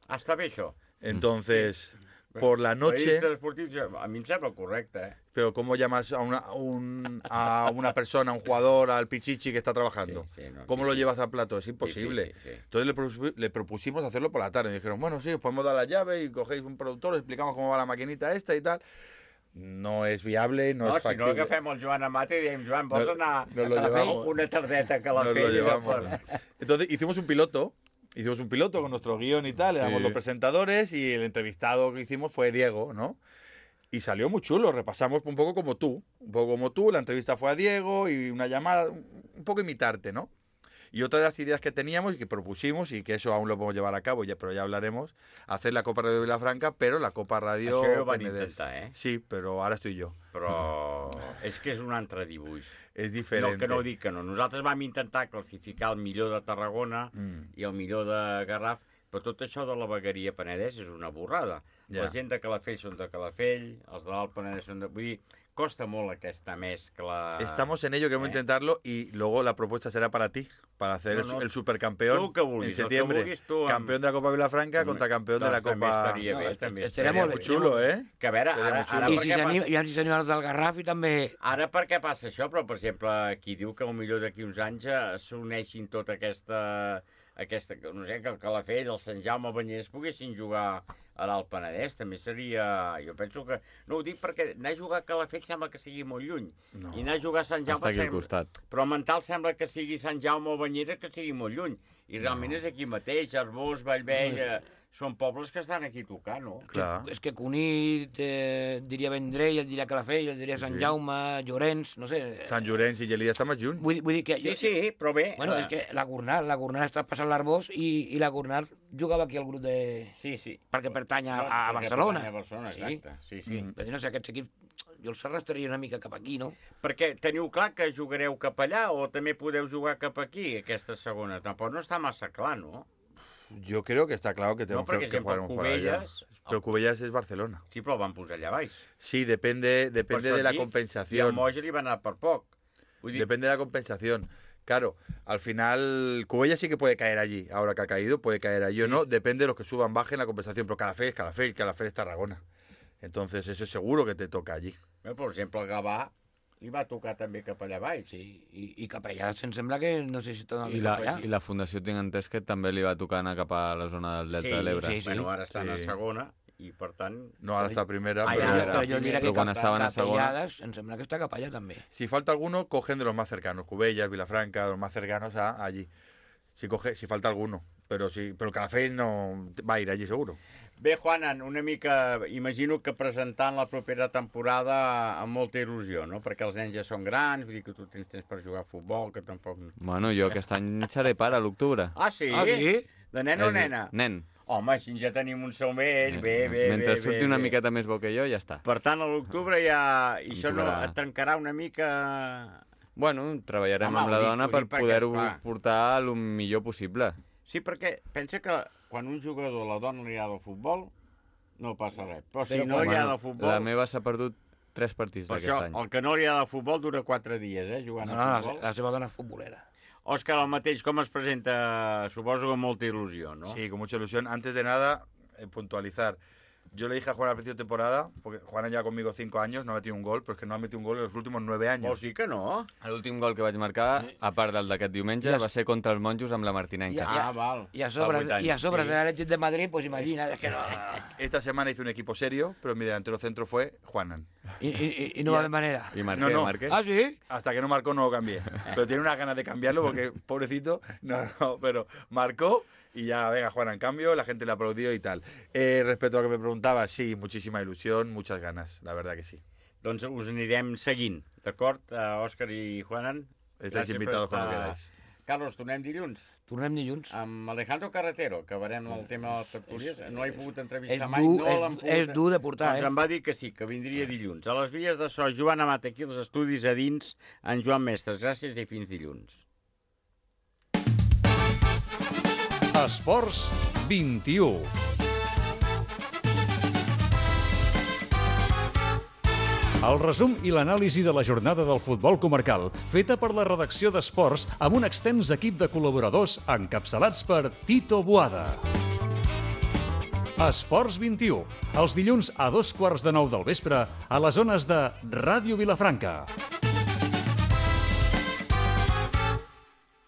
Ah, està bé això. Entonces, sí. por la noche... A mi em sembla correcte, eh? Pero ¿cómo llamas a una, un, a una persona, a un jugador, al pichichi que está trabajando? Sí, sí, no, ¿Cómo sí, lo sí. llevas al plato? Es imposible. Sí, sí, sí, sí. Entonces le, propus, le propusimos hacerlo por la tarde. Y dijeron, bueno, sí, os podemos dar la llave y cogéis un productor, os explicamos cómo va la maquinita esta y tal. No es viable, no, no es factible. Si no agafem el Joan Amat i diem, Joan, vols no, anar no a la una tardeta que la feia? Per... Entonces hicimos un piloto. Hicimos un piloto con nuestro guión y tal, éramos sí. los presentadores y el entrevistado que hicimos fue Diego, ¿no? Y salió muy chulo, repasamos un poco como tú, un poco como tú, la entrevista fue a Diego y una llamada, un poco imitarte, ¿no? Y otra de las ideas que teníamos y que propusimos, y que eso aún lo podemos llevar a cabo, ya, pero ya hablaremos, hacer la Copa Radio Vilafranca, pero la Copa Radio Això ho van intentar, eh? Sí, però ara estic jo. Però és que és un altre dibuix. És diferent. No, que no dic que no. Nosaltres vam intentar classificar el millor de Tarragona mm. i el millor de Garraf, però tot això de la vegueria Penedès és una borrada. Ja. La gent de Calafell són de Calafell, els de l'Alt Penedès són de... Vull dir, costa molt aquesta mezcla. Estamos en ello, queremos ¿Eh? intentarlo y luego la propuesta será para ti, para hacer no, no. el, el supercampeón vulguis, en septiembre. Vulguis, campeón amb... de la Copa Vilafranca contra campeón de la Copa... També estaria bé, no, també. Seria molt xulo, eh? Que a veure, ara... ara I si s'anima els del Garraf i també... Ara per què passa això? Però, per exemple, qui diu que potser d'aquí uns anys s'uneixin tota aquesta... aquesta, no sé, que el Calafell, el Sant Jaume, el Banyers poguessin jugar a l'Alt Penedès, també seria... Jo penso que... No ho dic perquè anar a jugar a Calafell sembla que sigui molt lluny. No. I anar a jugar a Sant Jaume... Està aquí al costat. Però mental sembla que sigui Sant Jaume o Banyera que sigui molt lluny. I realment no. és aquí mateix, Arbós, Vallvell... No. Són pobles que estan aquí tocant, no? Clar. És que Cunit, eh, diria Vendrell, el diria Calafell, el diria Sant sí. Jaume, Llorenç, no sé... Sant Llorenç i Gelida està més lluny. Vull, vull dir que... Sí, sí, però bé... Bueno, és que la Gornal, la Gornal està passant l'Arbós i, i la Gornal jugava aquí al grup de... Sí, sí. Perquè pertany a, no, a Barcelona. Pertany a Barcelona, exacte. Sí, sí. Mm. Però no sé, aquests equips... Jo els arrastraria una mica cap aquí, no? Perquè teniu clar que jugareu cap allà o també podeu jugar cap aquí, aquesta segona? Tampoc no està massa clar, no? Yo creo que está claro que tenemos No, perquè, que, que exemple, jugaremos para allá. Cubelles- Pero Cubellas es Barcelona. Sí, però el van posar allà baix. Sí, depende, depende Per de la això dic, compensación. I el Moja li va anar per poc. Vull dir, Depende de la compensación. Claro, al final Cubellas sí que puede caer allí. Ahora que ha caído, puede caer allí o no. Depende de los que suban, bajen la compensación. Pero Calafell es Calafell, Calafell es Tarragona. Entonces eso es seguro que te toca allí. eh, per exemple, el Gavà li va tocar també cap allà baix. Sí, i, i cap allà em sembla que no sé si torna I la, I la Fundació tinc entès que també li va tocar anar cap a la zona del Delta Sí, de l'Ebre. sí, sí. Bueno, ara estan a segona i, per tant... No, ahora está a primera. Ah, pero- ja està a jo diria pero que cuando cap, estaban a segona... Capellades, em sembla que està cap allà també. Si falta alguno, cogen de los más cercanos. Cubellas, Vilafranca, de los más cercanos a allí. Si coge, si falta alguno. Pero si, pero el Calafell no va a ir allí seguro. Bé, Juanan, una mica, imagino que presentant la propera temporada amb molta il·lusió, no? Perquè els nens ja són grans, vull dir que tu tens temps per jugar a futbol, que tampoc... Bueno, jo aquest any seré pare a l'octubre. Ah, sí? Ah, sí? De nen o És- nena? Nen. Home, així ja tenim un somell, bé, bé, Mentre bé, surti bé, una bé. miqueta més bo que jo, ja està. Per tant, a l'octubre ja... I això no Octubre. et trencarà una mica... Bueno, treballarem Home, amb la ho dic- dona ho per dic perquè, poder-ho esclar. portar el millor possible. Sí, perquè pensa que quan un jugador a la dona li agrada el futbol, no passa res. Però si no li agrada el futbol... La meva s'ha perdut tres partits Per aquest això, any. el que no li agrada el futbol dura quatre dies, eh, jugant No, a no, futbol. la seva dona és futbolera. Òscar, el mateix, com es presenta? Suposo que amb molta il·lusió, no? Sí, con mucha ilusión. Antes de nada, eh, puntualizar. Yo le dije a Juan al principio de temporada, porque Juan lleva conmigo cinco años, no ha metido un gol, pero es que no ha metido un gol en los últimos nueve años. Vols dir que no? L'últim gol que vaig marcar, a part del d'aquest diumenge, va ser contra els monjos amb la Martinenca. Ah, val. I a sobre, i a sobre de l'Atlètic de Madrid, pues imagina, es que no... Esta semana hice un equipo serio, pero mi delantero centro fue Juanan. Y, y, y no va de manera. Y marqué, no, no. marqué. ¿Ah, sí? Hasta que no marcó no lo cambié. Pero tiene unas ganas de cambiarlo porque, pobrecito, no, no, pero marcó y ya, venga, Juan, en cambio, la gente le aplaudió y tal. Eh, respecto a lo que me preguntaba, sí, muchísima ilusión, muchas ganas, la verdad que sí. Doncs us anirem seguint, d'acord, uh, Òscar i Juanan? Estáis Gràcies per invitados estar- cuando queráis. Carlos, tornem dilluns? Tornem dilluns. Amb Alejandro Carretero, que acabarem el tema de les tertúlies. No l'he pogut entrevistar és mai, dur, no és- l'hem pogut... és dur de portar, doncs eh? em va dir que sí, que vindria dilluns. A les vies de so, Joan Amat, aquí als estudis a dins, en Joan Mestres. Gràcies i fins dilluns. Esports vint-i-u. El resum i l'anàlisi de la jornada del futbol comarcal, feta per la redacció d'Esports amb un extens equip de col·laboradors encapçalats per Tito Boada. Esports vint-i-u, els dilluns a dos quarts de nou del vespre a les zones de Ràdio Vilafranca.